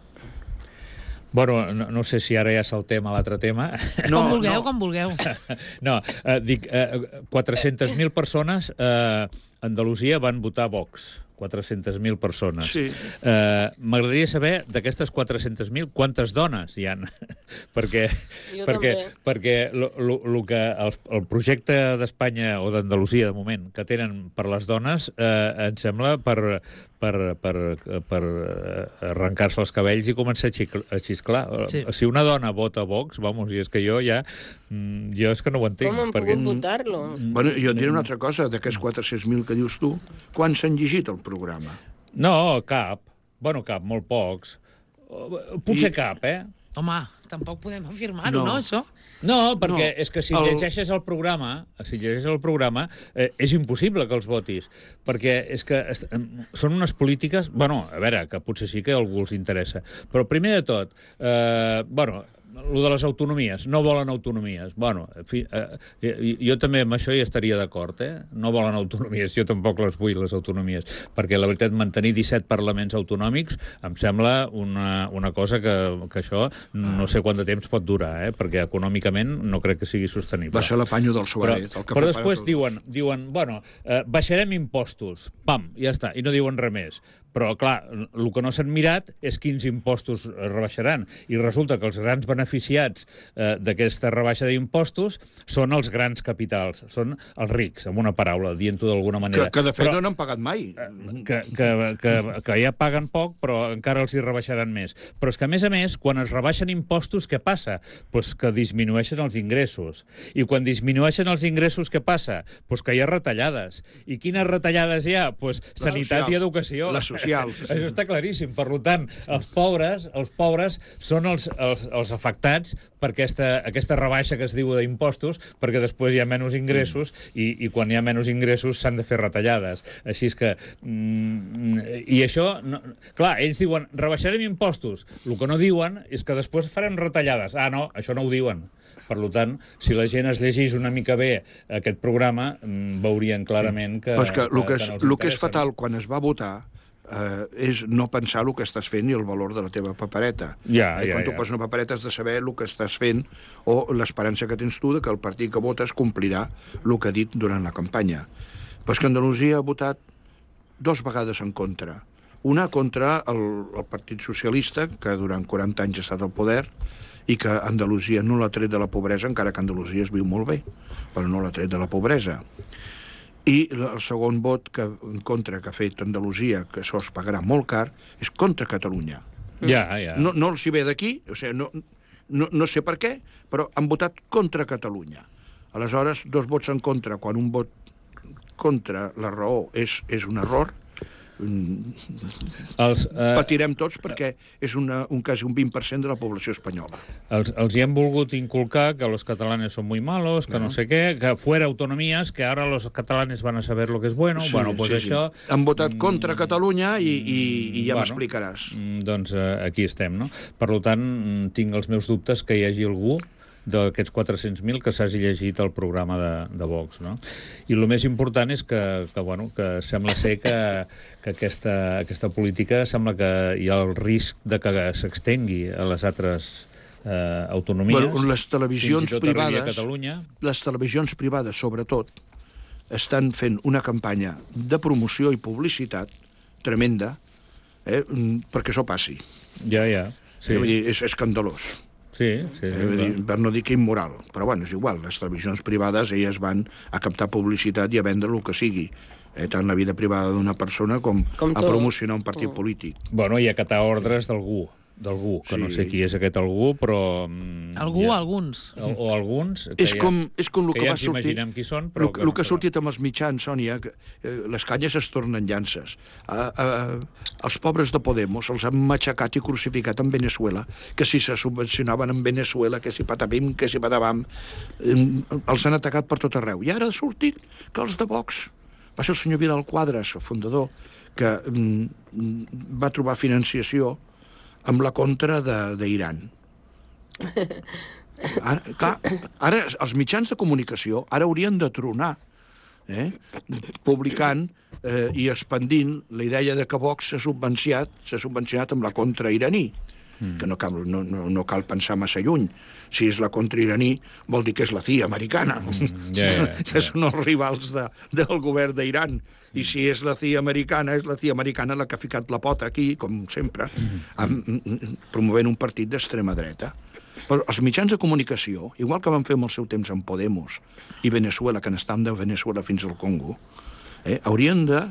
Bueno, no, no sé si ara ja saltem a l'altre tema. No, com vulgueu, no. com vulgueu. No, eh, dic, eh, quatre-centes mil persones a eh, Andalusia van votar Vox. quatre-centes mil persones. Sí. Eh, M'agradaria saber, d'aquestes quatre-centes mil, quantes dones hi ha. perquè Jo perquè, també. perquè lo, lo, lo que el, el projecte d'Espanya, o d'Andalusia, de moment, que tenen per les dones, eh, em sembla per, per, per, per arrencar-se els cabells i començar a, xicl a xisclar. Sí. Si una dona vota Vox, vamos, i és que jo ja... Jo és que no ho entenc. Com han perquè... pogut votar-lo? Bueno, jo et diré una altra cosa, d'aquests quatre-cents mil que dius tu, quants s'han llegit el programa? No, cap. Bueno, cap, molt pocs. Potser I... cap, eh? Home, tampoc podem afirmar-ho, no. no, això? No, perquè no. és que si el... llegeixes el programa, si llegeixes el programa, eh, és impossible que els votis, perquè és que est... són unes polítiques... Bueno, a veure, que potser sí que a algú els interessa, però primer de tot, eh, bueno, lo de les autonomies, no volen autonomies. Bueno, en fi, eh, jo també amb això hi estaria d'acord, eh? No volen autonomies, jo tampoc les vull, les autonomies, perquè la veritat, mantenir disset parlaments autonòmics em sembla una, una cosa que, que això no sé quant de temps pot durar, eh? Perquè econòmicament no crec que sigui sostenible. Va ser l'apanyo del Suárez. Però, però després diuen, diuen, bueno, eh, baixarem impostos, pam, ja està, i no diuen res més. Però, clar, el que no s'han mirat és quins impostos rebaixaran. I resulta que els grans beneficiats eh, d'aquesta rebaixa d'impostos són els grans capitals, són els rics, amb una paraula, dient-ho d'alguna manera. Que, que de fet però, no n'han pagat mai. Que, que, que, que ja paguen poc, però encara els hi rebaixaran més. Però és que, a més a més, quan es rebaixen impostos, què passa? Pues que disminueixen els ingressos. I quan disminueixen els ingressos, què passa? Pues que hi ha retallades. I quines retallades hi ha? Pues sanitat social, i educació. La social. Això està claríssim. Per tant, els pobres, els pobres són els, els, els afectats per aquesta, aquesta rebaixa que es diu d'impostos, perquè després hi ha menys ingressos i, i quan hi ha menys ingressos s'han de fer retallades. Així és que... Mm, I això... No, clar, ells diuen, rebaixarem impostos. El que no diuen és que després farem retallades. Ah, no, això no ho diuen. Per tant, si la gent es llegís una mica bé aquest programa, veurien clarament que... Però és que el que, que, és, que el que és fatal quan es va votar eh, és no pensar el que estàs fent i el valor de la teva papereta. Ja, eh, ja, quan tu ja. poses una papereta has de saber el que estàs fent o l'esperança que tens tu de que el partit que votes complirà el que ha dit durant la campanya. Però és que Andalusia ha votat dos vegades en contra. Una contra el, el Partit Socialista, que durant quaranta anys ha estat al poder, i que Andalusia no l'ha tret de la pobresa, encara que Andalusia es viu molt bé, però no l'ha tret de la pobresa. I el segon vot que, en contra que ha fet Andalusia, que això es pagarà molt car, és contra Catalunya. Ja, ja. No, no els hi ve d'aquí, o sigui, no, no, no sé per què, però han votat contra Catalunya. Aleshores, dos vots en contra, quan un vot contra la raó és, és un error, Els, eh, patirem tots perquè és una, un quasi un vint per cent de la població espanyola. Els, els hi hem volgut inculcar que los catalanes son muy malos, que no, no sé què, que fuera autonomías, que ahora los catalanes van a saber lo que es bueno. Sí, bueno, pues sí, això... Sí. Han votat contra Catalunya i, i, i ja bueno, m'explicaràs. Doncs eh, aquí estem, no? Per tant, tinc els meus dubtes que hi hagi algú d'aquests quatre-cents mil que s'hagi llegit el programa de, de Vox, no? I el més important és que, que, bueno, que sembla ser que, que aquesta, aquesta política sembla que hi ha el risc de que s'extengui a les altres eh, autonomies. Bueno, les televisions privades, a les televisions privades, sobretot, estan fent una campanya de promoció i publicitat tremenda eh, perquè això passi. Ja, ja. Sí. Eh, vull dir, és escandalós. Sí, sí, eh, dir, per no dir que immoral. Però bueno, és igual, les televisions privades elles van a captar publicitat i a vendre el que sigui. Eh, tant la vida privada d'una persona com, com a promocionar un partit mm. polític. Bueno, i acatar ordres d'algú. d'algú, que sí. No sé qui és aquest algú, però... Algú, ja, alguns. O, o alguns, que és ja, com, és com el que, que ja va sortir... imaginem qui són, però... El que, que, no que ha sortit amb els mitjans, Sònia, que eh, les canyes es tornen llances. A, a, els pobres de Podemos els han matxacat i crucificat en Venezuela, que si se subvencionaven en Venezuela, que si patapim, que si patapam, eh, els han atacat per tot arreu. I ara ha sortit que els de Vox... Va ser el senyor Vidal Quadras, el fundador, que mm, va trobar financiació amb la contra d'Iran. Ara, clar, ara els mitjans de comunicació ara haurien de tronar, eh? publicant eh, i expandint la idea de que Vox s'ha subvencionat, s'ha subvencionat amb la contra iraní, mm. que no cal, no, no, no cal pensar massa lluny. Si és la contra iraní, vol dir que és la C I A americana, mm, yeah, yeah, yeah. que són els rivals de, del govern d'Iran. I si és la C I A americana, és la C I A americana la que ha ficat la pota aquí, com sempre, amb, promovent un partit d'extrema dreta. Però els mitjans de comunicació, igual que van fer amb el seu temps amb Podemos i Venezuela, que n'estan de Venezuela fins al Congo, eh, haurien de,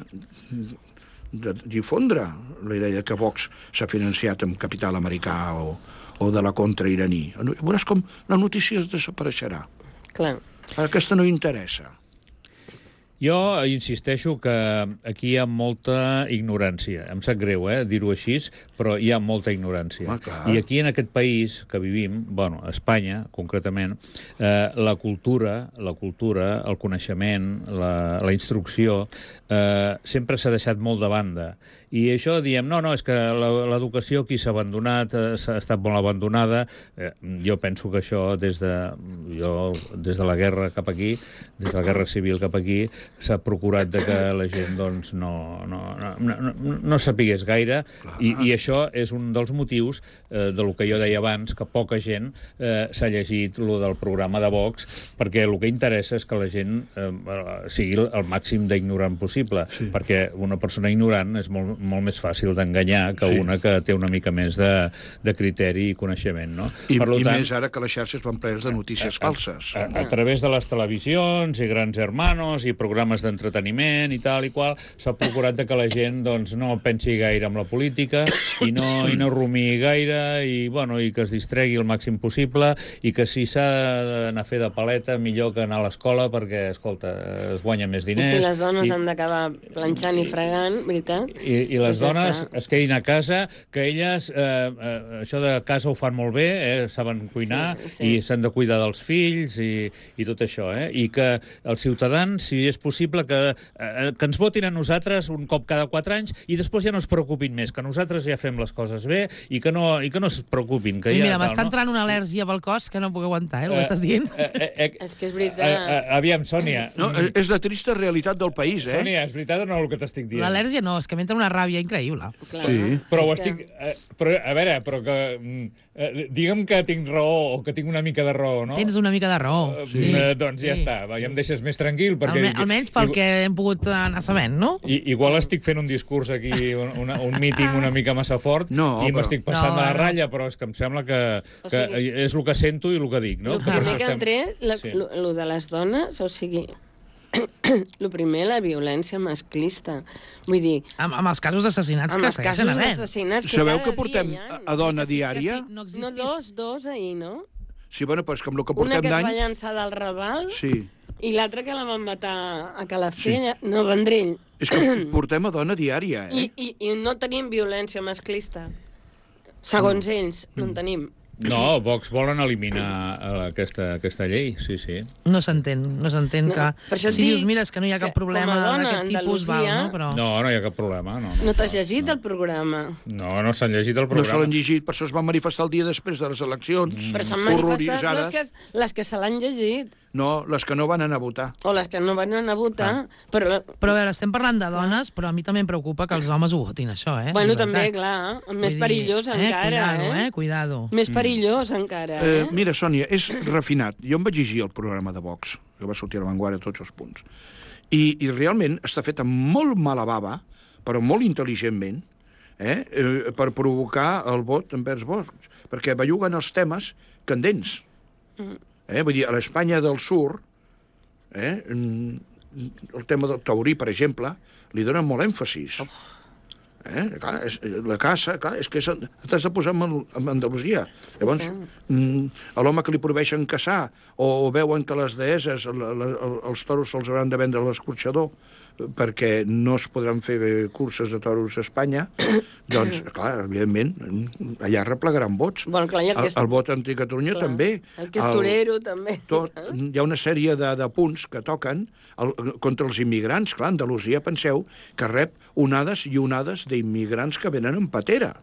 de difondre la idea que Vox s'ha financiat amb capital americà o, o de la contra iraní. Veuràs com la notícia es desapareixerà. Clar. Aquesta no interessa. Jo insisteixo que aquí hi ha molta ignorància. Em sap greu, eh, dir-ho així, però hi ha molta ignorància. Home, clar. I aquí, en aquest país que vivim, bueno, a Espanya, concretament, eh, la cultura, la cultura, el coneixement, la, la instrucció, eh, sempre s'ha deixat molt de banda. I això diem, no, no, és que l'educació aquí s'ha abandonat, eh, s'ha estat molt abandonada. Eh, jo penso que això, des de, jo, des de la guerra cap aquí, des de la guerra civil cap aquí, s'ha procurat de que la gent doncs, no, no, no, no, no sapigués gaire, i, i això és un dels motius eh, de lo que jo deia abans, que poca gent eh, s'ha llegit lo del programa de Vox, perquè el que interessa és que la gent eh, sigui el màxim d'ignorant possible, sí. Perquè una persona ignorant és molt, molt més fàcil d'enganyar que sí. Una que té una mica més de, de criteri i coneixement, no? I, per i tant, més ara que les xarxes van plenes de notícies a, falses. A, a, a través de les televisions i Grans Hermanos i programes d'entreteniment i tal i qual, s'ha procurat de que la gent doncs, no pensi gaire en la política i no, i no rumiï gaire i, bueno, i que es distregui el màxim possible i que si s'ha d'anar a fer de paleta millor que anar a l'escola perquè, escolta, es guanya més diners. I si les dones i, han d'acabar planxant i fregant, veritat? I, i les pues dones ja es quedin a casa, que elles eh, eh, això de casa ho fan molt bé, eh, saben cuinar sí, sí. I s'han de cuidar dels fills i, i tot això, eh? I que els ciutadans, si és possible, que, eh, que ens votin a nosaltres un cop cada quatre anys i després ja no es preocupin més, que nosaltres ja fem les coses bé i que no, i que no es preocupin. Que I ja, mira, m'està no? entrant una al·lèrgia pel cos que no puc aguantar, eh, el que estàs dient. Eh, eh, eh, és que és veritat. Eh, eh, aviam, Sònia. No, és la trista realitat del país, eh? Sònia, és veritat o no el que t'estic dient? L'al·lèrgia no, és que m'entra una ràbia increïble. Clar, Sí. Però ho és estic... que... Eh, però, a veure, però que... Eh, digue'm que tinc raó o que tinc una mica de raó, no? Tens una mica de raó. Eh, Sí. eh, doncs ja Sí. està, va, ja em deixes més tranquil. Perquè, Alme almenys pel que hem pogut anar sabent, no? I, igual estic fent un discurs aquí, un, una, un míting una mica massa fort No, i però- m'estic passant No, de la no. ratlla, però és que em sembla que, O que sigui- és el que sento i el que dic, no? El Que per primer això que estem- han tret, la, Sí. lo, lo de les dones, o sigui, el primer, la violència masclista. Vull dir, Amb, amb els casos d'assassinats amb que els segueixen casos havent. d'assassinats que Sabeu cada que portem dia hi ha. a, a dona Que sí, que diària? sí, no No, existís. dos, dos ahir, no? Sí, bueno, però és que amb el que Una portem que es va d'any... llançar del Raval Sí. i l'altra que la van matar a Calafell, sí. no, Vendrell. És que portem a dona diària, I, eh? i, I no tenim violència masclista. Segons ells, no en tenim. No, Vox volen eliminar eh, aquesta, aquesta llei, sí, sí. No s'entén, no s'entén No, que... per això et Si dius, dic mira, és que no hi ha que cap problema com a dona d'aquest tipus, val, Andalusia- no? Però... No, no hi ha cap problema. No, no, No t'has llegit el programa? No, no s'han llegit el No se programa. l'han llegit, per això es van manifestar el dia després de les eleccions. Però s'han manifestat les horroritzades. que, les que se l'han llegit, No, les que no van anar a votar. o les que no van anar a votar. Però, Però a veure, estem parlant de dones, però a mi també em preocupa que els homes ho votin, això, eh? bueno, De també, veritat. clar, Vull més dir, perillós encara, Cuidado, eh? eh? Cuidado. Més perillós encara, Eh, eh? mira, Sònia, és refinat. Jo em vaig llegir el programa de Vox, que va sortir a la Vanguardia tots els punts. I, i realment està fet amb molt mala bava, però molt intel·ligentment, eh, eh, per provocar el vot envers Vox, perquè belluguen els temes candents. Eh? Vull dir, a l'Espanya del Sur, eh, el tema del taurí, per exemple, li donen molt èmfasis. Eh? Clar, és, la caça, clar, és que t'has de posar en, en Andalusia. Sí, llavors, mm, a l'home que li prohibeixen caçar o, o veuen que les deeses, la, la, els toros se'ls hauran de vendre a l'escorxador perquè no es podran fer curses de toros a Espanya, doncs, clar, evidentment, allà replegaran vots. Bueno, clar, i el que és- el, el vot anti-Catalunya Clar. també. El que és torero, també. Tot, hi ha una sèrie de, de punts que toquen el, contra els immigrants. Clar, Andalusia, penseu, que rep onades i onades d'immigrants que venen en patera.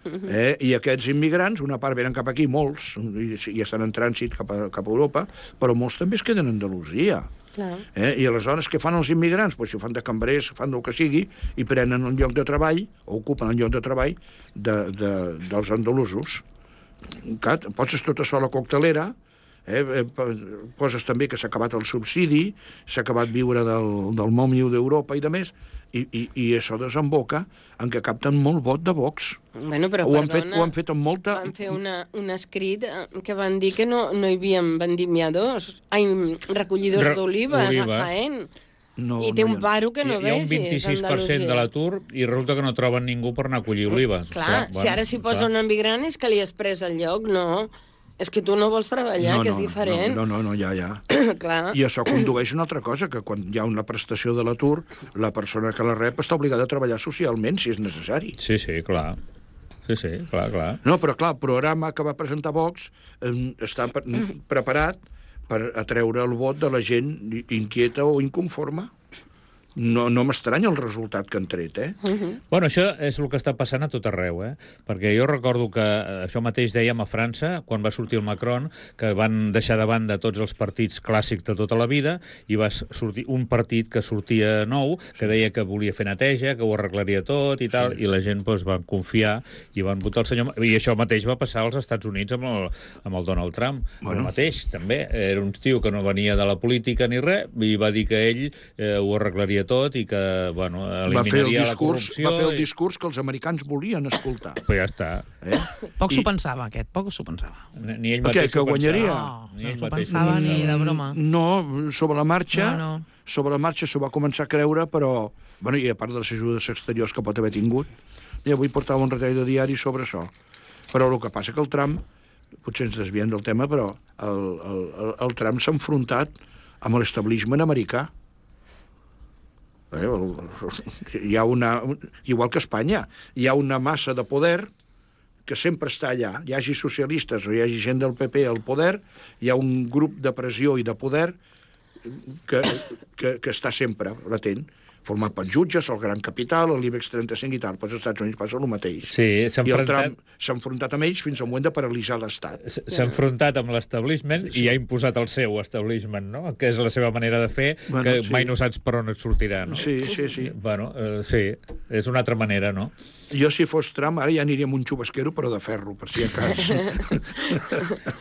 Eh? I aquests immigrants, una part venen cap aquí, molts, i, i estan en trànsit cap a, cap a Europa, però molts també es queden a Andalusia. Clar. Eh? I aleshores què fan els immigrants? Pues si fan de cambrers, fan del que sigui, i prenen un lloc de treball, o ocupen un lloc de treball de, de, dels andalusos. Clar, poses tot això a la coctelera, eh? Poses també que s'ha acabat el subsidi, s'ha acabat viure del, del mòmio d'Europa i de més, i, i, i això desemboca en què capten molt vot de Vox. Bueno, però, Ho han, perdona, fet, ho han fet amb molta... van fer una, un escrit eh, que van dir que no, no hi havia vendimiadors, ai, recollidors Re- d'olives a olives. Jaén. No, I té no hi un ha- paro que no hi ha un vegis, vint-i-sis per cent Andalusia. de l'atur i resulta que no troben ningú per anar a collir olives. Clar, si ara s'hi posa un emigrant és que li has pres el lloc, no. És que tu no vols treballar, no, que és no, diferent. No, no, no, ja, ja. Clar. I això condueix una altra cosa, que quan hi ha una prestació de l'atur, la persona que la rep està obligada a treballar socialment, si és necessari. Sí, sí, clar. Sí, sí, clar, clar. No, però clar, el programa que va presentar Vox eh, està pre preparat per atreure el vot de la gent inquieta o inconforme. No, no m'estranya el resultat que han tret, eh? Uh-huh. Bueno, això és el que està passant a tot arreu, eh? Perquè jo recordo que això mateix dèiem a França, quan va sortir el Macron, que van deixar de banda tots els partits clàssics de tota la vida, i va sortir un partit que sortia nou, que deia que volia fer neteja, que ho arreglaria tot i tal, sí. I la gent doncs, van confiar i van votar el senyor... I això mateix va passar als Estats Units amb el, amb el Donald Trump. Bueno. El mateix, també. Era un tio que no venia de la política ni res, i va dir que ell eh, ho arreglaria tot i que, bueno, eliminaria la corrupció. Va fer el discurs que els americans volien escoltar. Però ja està. Eh? Poc I... s'ho pensava, aquest, poc s'ho pensava. Ni ell mateix que guanyaria? No, ni no ell s'ho mateix pensava ni de broma. No, sobre la marxa, No, no. sobre la marxa s'ho va començar a creure, però, bueno, i a part de les ajudes exteriors que pot haver tingut, i avui portava un retall de diari sobre això. Però el que passa que el Trump, potser ens desviem del tema, però el, el, el, el Trump s'ha enfrontat amb l'establishment americà. Eh, hi ha una, igual que Espanya, hi ha una massa de poder que sempre està allà. Hi hagi socialistes o hi hagi gent del P P al poder, hi ha un grup de pressió i de poder que, que, que està sempre latent, format per jutges, el gran capital, l'IBEX trenta-cinc i tal. Però als Estats Units passa el mateix. Sí, s'ha I el enfrontat... Trump s'ha enfrontat amb ells fins al moment de paralitzar l'Estat. S'ha enfrontat amb l'establishment sí. I ha imposat el seu establishment, no? Que és la seva manera de fer, bueno, que sí. Mai no saps per on et sortirà, no? Sí, sí, sí. Bueno, eh, sí, és una altra manera, no? Jo, si fos Trump, ara ja aniria amb un xubasquero, però de ferro, per si a cas.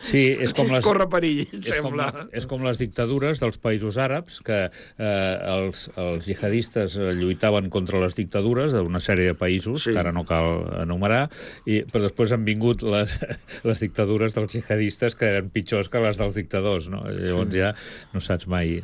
Sí, és com les... Corre perill, és sembla. Com, és com les dictadures dels països àrabs, que eh, els, els jihadistes lluitaven contra les dictadures d'una sèrie de països, sí. Que ara no cal enumerar, i, però després han vingut les, les dictadures dels jihadistes que eren pitjors que les dels dictadors, no? Llavors sí. Ja no saps mai...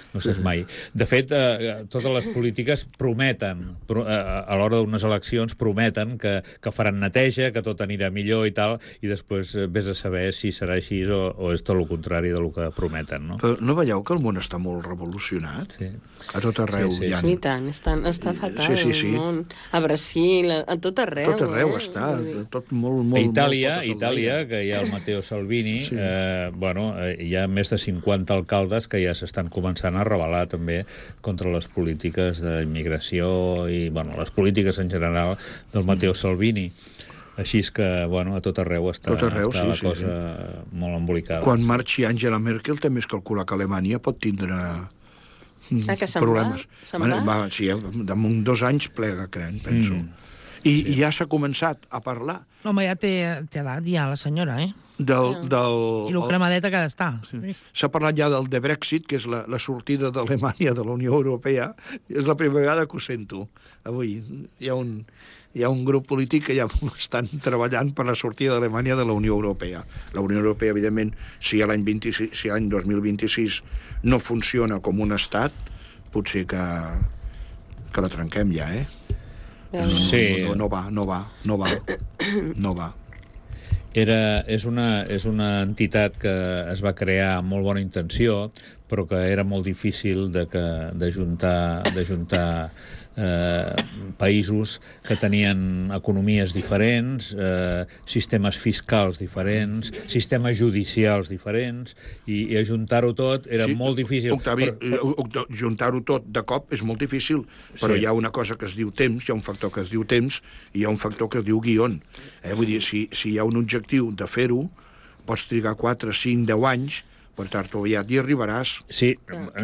No saps mai. De fet, eh, totes les polítiques prometen, pro, eh, a l'hora d'unes eleccions, prometen que, que faran neteja, que tot anirà millor i tal, i després eh, vés a saber si serà així o, o és tot el contrari del que prometen, no? Però no veieu que el món està molt revolucionat? Sí. A tot arreu sí, sí. hi ha... Sí, tant, està, està fatal sí, sí, sí. el món. A Brasil, a tot arreu. A tot arreu eh? està, tot molt... molt A Itàlia, molt Itàlia, que hi ha el Matteo Salvini, sí. eh, bueno, eh, hi ha més de cinquanta alcaldes que ja s'estan començant a rebel·lar també contra les polítiques d'immigració i, bueno, les polítiques en general del Matteo Salvini. Així és que, bueno, a tot arreu està, tot arreu, està sí, la sí, cosa sí. Molt embolicada. Quan marxi Angela Merkel també es calcula que Alemanya pot tindre ah, que se'n problemes. Va? Se'n va? Va, sí, damunt dos anys plega, crec, penso. Mm. I, sí. I ja s'ha començat a parlar... Home, ja té, té edat, ja, la senyora, eh? Del, del, I lo cremadeta que ha d'estar. S'ha parlat ja del de Brexit, que és la, la sortida d'Alemanya de la Unió Europea. És la primera vegada que ho sento. Avui hi ha un, hi ha un grup polític que ja estan treballant per la sortida d'Alemanya de la Unió Europea. La Unió Europea, evidentment, si l'any vint-i-sis, si l'any dos mil vint-i-sis no funciona com un estat, potser que, que la trenquem ja, eh? Sí. No, no, no va, no va, no va, no va. Era, és, una, és una entitat que es va crear amb molt bona intenció, però que era molt difícil de que, de juntar, de juntar eh, països que tenien economies diferents, eh, sistemes fiscals diferents, sistemes judicials diferents, i, i ajuntar-ho tot era sí, molt difícil. Octavi, però, però... juntar-ho tot de cop és molt difícil, però sí. Hi ha una cosa que es diu temps, hi ha un factor que es diu temps, i hi ha un factor que es diu guion. Eh? Vull dir, si, si hi ha un objectiu de fer-ho, pots trigar quatre, cinc, deu anys, per tard o aviat hi arribaràs. Sí,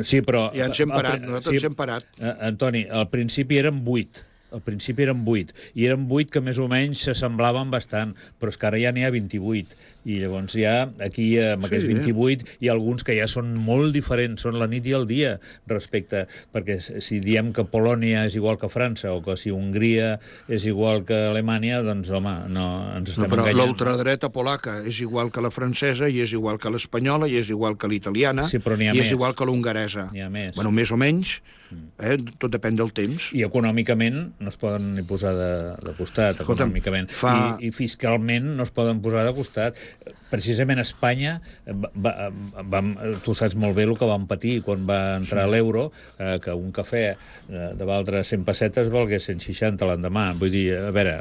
sí, però... Ja ens hem parat, nosaltres sí, ens hem parat. Antoni, al principi eren vuit. Al principi eren vuit. I eren vuit que més o menys s'assemblaven bastant, però és que ara ja n'hi ha vint-i-vuit. I llavors ja, aquí, amb aquests sí, vint-i-vuit, hi ha alguns que ja són molt diferents, són la nit i el dia respecte, perquè si diem que Polònia és igual que França, o que si Hongria és igual que Alemanya, doncs, home, no, ens estem no, però enganyant. Però l'ultradreta polaca és igual que la francesa, i és igual que l'espanyola, i és igual que l'italiana, sí, i més. És igual que l'hongaresa. N'hi ha més. Bueno, més o menys, eh, tot depèn del temps. I econòmicament no es poden ni posar de, de costat, Escolta'm, econòmicament. fa- I, I fiscalment no es poden posar de costat. Precisament Espanya, va, va, tu saps molt bé el que vam patir quan va entrar l'euro, eh, que un cafè eh, de valdre cent pessetes valgués cent seixanta l'endemà. Vull dir, a veure...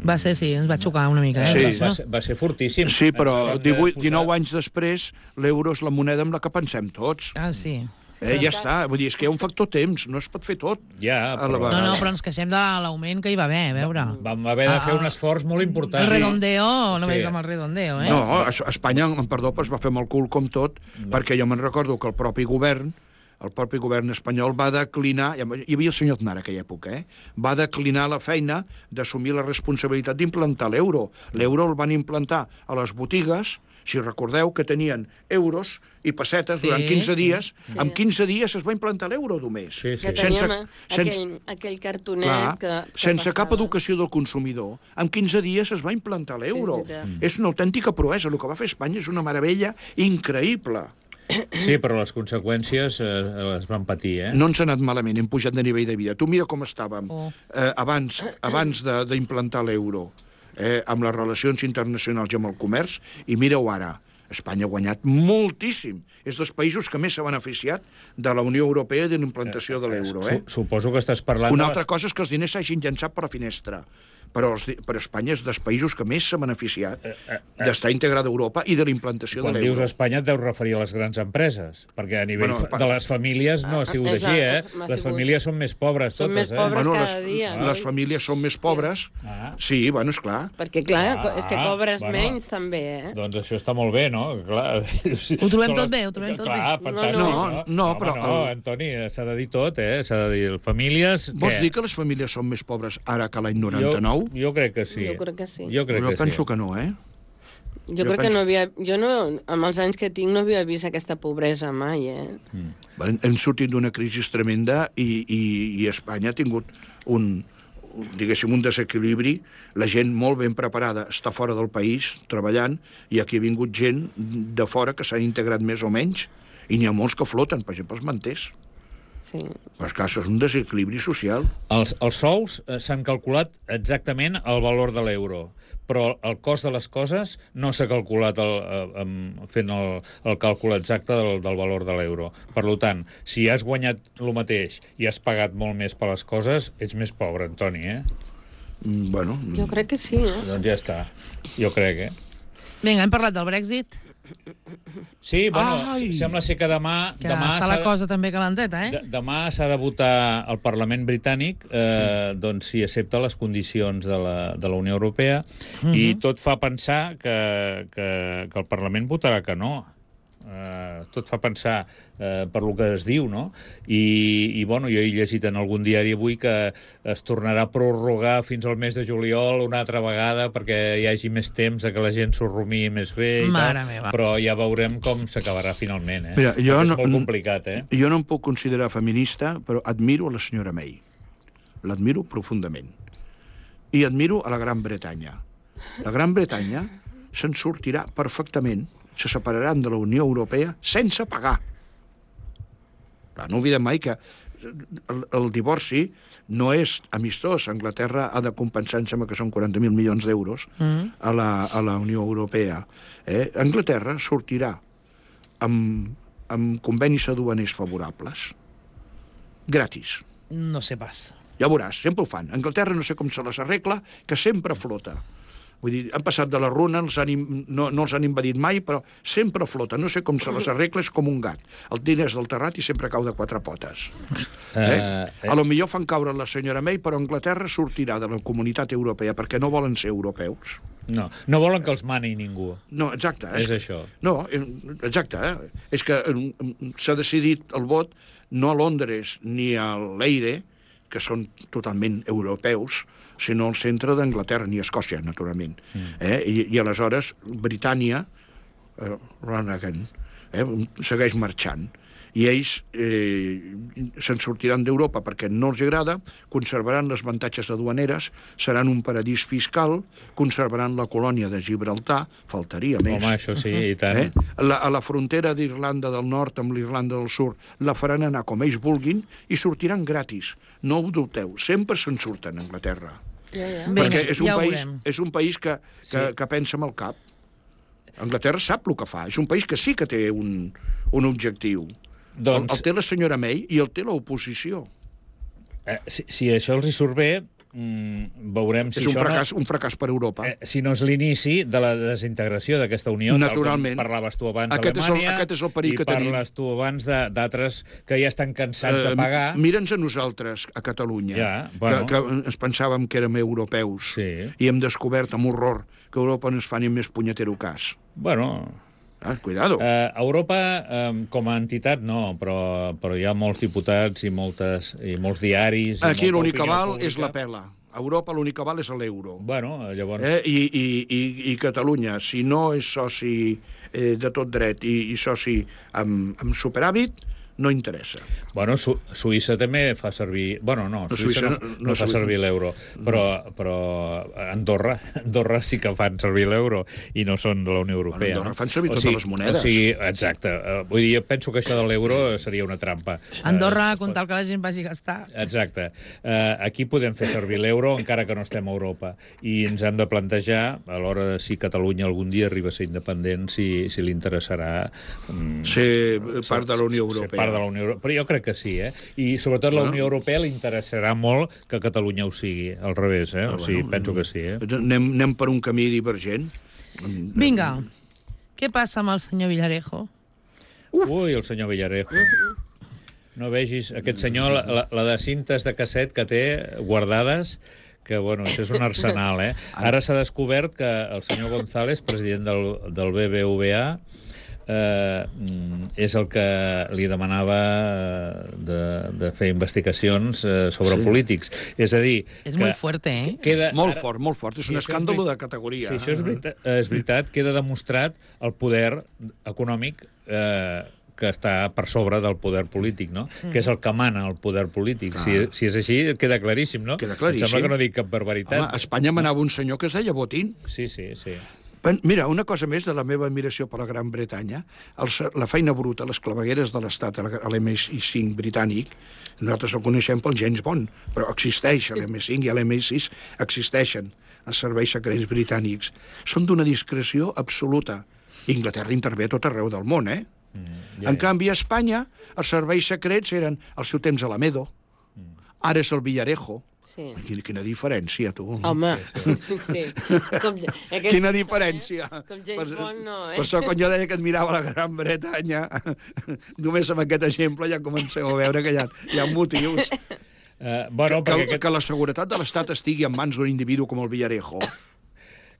Va ser, sí, ens va xocar una mica. Eh? Sí. Va, ser, va ser fortíssim. Sí, però Ens van divuit, posar- dinou anys després, l'euro és la moneda amb la que pensem tots. Ah, sí. Eh, ja està, vull dir, és que hi ha un factor temps, no es pot fer tot. Ja, a la però- vegada. No, no, però ens queixem de l'augment que hi va haver, a veure. Vam haver de fer Ah, un esforç molt important. El redondeo, Sí. només amb el redondeo, eh? No, a Espanya, amb perdó, es va fer amb el cul com tot, perquè jo me'n recordo que el propi govern, el propi govern espanyol va declinar, hi havia el senyor Aznar en aquella època, eh? va declinar la feina d'assumir la responsabilitat d'implantar l'euro. L'euro el van implantar a les botigues, si recordeu, que tenien euros i pessetes Sí, durant quinze sí. dies. Sí. En quinze dies es va implantar l'euro només. Sí, sí. Que teníem aquell, aquell cartonet Clar, que, que sense cap passava. educació del consumidor, en quinze dies es va implantar l'euro. Sí, és veritat. és una autèntica proesa. El que va fer Espanya és una meravella increïble. Sí, però les conseqüències eh, les van patir, eh? No ens ha anat malament, hem pujat de nivell de vida. Tu mira com estàvem Oh. eh, abans, abans de- d'implantar l'euro, eh, amb les relacions internacionals i amb el comerç, i mira-ho ara. Espanya ha guanyat moltíssim. És dels països que més s'ha beneficiat de la Unió Europea i de la implantació de l'euro. Eh? Su- Suposo que estàs parlant... Una de altra les- cosa és que els diners s'hagin llançat per la finestra, però, els, di- però Espanya és dels països que més s'ha beneficiat d'estar integrada a Europa i de la implantació Quan de dius l'euro. Espanya et deus referir a les grans empreses, perquè a nivell Bueno, fa- de les famílies no ha sigut és així, la- eh? m'ha Les sigut- famílies són més pobres Són totes, més eh? pobres Bueno, cada les, dia. les oi? famílies són més pobres. Ah. Sí, bueno, esclar. Perquè, clar, Ah, és que cobres bueno. menys, també, eh? Doncs això està molt bé, no? Clar. Ho trobem Són tot les- bé, ho trobem tot Clar, bé. fantàstic, No, no? no, Home, però No, el- Antoni, s'ha de dir tot, eh? S'ha de dir famílies... Vols què? dir que les famílies són més pobres ara que l'any Jo, noranta-nou? jo crec que sí. Jo crec que sí. Jo crec Jo que penso sí. que no, eh? Jo, Jo crec que penso- no havia... Jo no, amb els anys que tinc no havia vist aquesta pobresa mai, eh? Hem, hem sortit d'una crisi tremenda i, i, i Espanya ha tingut un, un, diguéssim, un desequilibri. La gent molt ben preparada està fora del país treballant i aquí ha vingut gent de fora que s'han integrat més o menys i n'hi ha molts que floten, per exemple, els manters. Sí. Però és clar, això és un desequilibri social. Els, els sous eh, s'han calculat exactament el valor de l'euro, però el cost de les coses no s'ha calculat el, eh, amb, fent el, el càlcul exacte del, del valor de l'euro. Per tant, si has guanyat el mateix i has pagat molt més per les coses, ets més pobre, Antoni, eh? Mm, Bueno, Jo crec que sí, eh? Doncs ja està. Jo crec, eh? Vinga, hem parlat del Brexit, Sí, bueno, Ai! sembla ser que demà... que demà està s'ha la de- cosa també calenteta, eh? De, demà s'ha de votar al Parlament britànic eh, sí. doncs si accepta les condicions de la, de la Unió Europea Mhm. i tot fa pensar que, que, que el Parlament votarà que no. Eh, tot fa pensar eh, per lo que es diu, no? I, i bueno, jo he llegit en algun diari avui que es tornarà a prorrogar fins al mes de juliol una altra vegada perquè hi hagi més temps a que la gent s'ho rumiï més bé i Mare tal, meva. però ja veurem com s'acabarà finalment, eh? Mira, jo Perquè és no- molt complicat, eh? jo no em puc considerar feminista, però admiro a la senyora May. L'admiro profundament. I admiro a la Gran Bretanya. La Gran Bretanya se'n sortirà perfectament, se separaran de la Unió Europea sense pagar. Clar, no oblidem mai que el, el divorci no és amistós. Anglaterra ha de compensar, em sembla que són quaranta mil milions d'euros mm. a, la, a la Unió Europea. Eh? Anglaterra sortirà amb, amb convenis aduaners favorables. Gratis. No sé pas. Ja veuràs, sempre ho fan. Anglaterra no sé com se les arregla, que sempre flota. Vull dir, han passat de la runa, els han, im- no, no els han invadit mai, però sempre flota. No sé com se les arregla, és com un gat. El diners del terrat i sempre cau de quatre potes. Eh? Eh, eh. A lo millor fan caure la senyora May, però Anglaterra sortirà de la comunitat europea perquè no volen ser europeus. No, no volen que els mani ningú. No, exacte. És això. No, eh, exacte. Eh? És que eh, s'ha decidit el vot no a Londres ni a l'Eire, que són totalment europeus, sinó al centre d'Anglaterra, ni a Escòcia, naturalment. Mm. Eh? I, I aleshores Britània, eh, Ranagan, eh, segueix marxant. I ells eh, se'n sortiran d'Europa perquè no els agrada, conservaran les avantatges aduaneres, seran un paradís fiscal, conservaran la colònia de Gibraltar, faltaria més. Home, això sí, i tant. Eh? La, a la frontera d'Irlanda del Nord amb l'Irlanda del Sud la faran anar com ells vulguin i sortiran gratis. No ho dubteu, sempre se'n surten a Anglaterra. Ja, ja. Bé, Perquè és un ja ho país, veurem. és un país que, que, Sí. que pensa amb el cap. Anglaterra sap el que fa. És un país que sí que té un, un objectiu. Doncs, El, el té la senyora May i el té l'oposició. eh, si, si això els hi surt bé, mm, veurem si És un això fracàs, un fracàs per Europa. no... Eh, si no és l'inici de la desintegració d'aquesta unió, Naturalment. tal com parlaves tu abans Aquest és el- d'Alemanya, aquest és el perill i que tenim. parles tu abans de- d'altres que ja estan cansats de pagar. Eh, Mira'ns a nosaltres, a Catalunya, Ja, bueno. que, que ens pensàvem que érem europeus Sí. i hem descobert amb horror que Europa no es fa ni més punyetero cas. Bueno, Ah, cuidado. eh, Europa, eh, com a entitat, no, però, però hi ha molts diputats i, moltes, i molts diaris... i Aquí molta l'únic que opinió val pública. és la pela. A Europa l'únic que val és l'euro. Bueno, llavors... Eh? I, i, i, I Catalunya, si no és soci eh, de tot dret i, i soci amb, amb superàvit, no interessa. Bueno, Su Suïssa també fa servir... Bueno, no, No, Suïssa, Suïssa no, no- no, no fa Suïssa. servir l'euro, però, però Andorra, Andorra sí que fan servir l'euro i no són de la Unió Europea. Andorra no? fan servir O totes sigui, les monedes. O sigui, exacte. Eh, Vull dir, jo penso que això de l'euro seria una trampa. Andorra, Eh, con tal que la gent vagi a gastar. Exacte. Uh, aquí podem fer servir l'euro encara que no estem a Europa i ens hem de plantejar a l'hora de si Catalunya algun dia arriba a ser independent, si, si li interessarà um, Ser part de la Unió ser Europea. part de la Unió Europea. Però jo crec que sí, eh? I sobretot la Bueno. Unió Europea li interessarà molt que Catalunya ho sigui, al revés, eh? O sigui, bueno, penso que sí, eh? Anem, anem per un camí divergent. Vinga, què passa amb el senyor Villarejo? Ui, el senyor Villarejo. No vegis aquest senyor, la, la, la de cintes de casset que té guardades, que, bueno, això és un arsenal, eh? Ara s'ha descobert que el senyor González, president del, del B B V A, eh, és el que li demanava de, de fer investigacions eh, sobre Sí. polítics. És a dir... És que molt fuerte, eh? Queda, Molt ara- fort, molt fort. És Sí, un això és escàndol veri- de categoria. Sí, això és veritat, és veritat, queda demostrat el poder econòmic eh, que està per sobre del poder polític, no? Mm. Que és el que mana el poder polític. Si, si és així, queda claríssim, no? Queda claríssim. Em sembla que no dic cap barbaritat. Home, a Espanya manava un senyor que es deia Botín. Sí, sí, sí. Pen- Mira, una cosa més de la meva admiració per la Gran Bretanya, el, se- la feina bruta, les clavegueres de l'Estat a l'M I cinc britànic, nosaltres el coneixem pel James Bond, però existeix, l'M I cinc i l'M I sis existeixen els serveis secrets britànics. Són d'una discreció absoluta. Inglaterra intervé a tot arreu del món, eh? Mm, En canvi, a Espanya, els serveis secrets eren al seu temps Alamedo, ara és el Villarejo. Sí. Quina, quina diferència, tu. Home, sí. Com, aquest, Quina diferència. Eh? Com James Bond, no, eh? Per això, quan jo deia que admirava la Gran Bretanya, només amb aquest exemple ja comenceu a veure que hi ha, hi ha motius. Uh, bueno, que, perquè que, aquest... que la seguretat de l'Estat estigui en mans d'un individu com el Villarejo.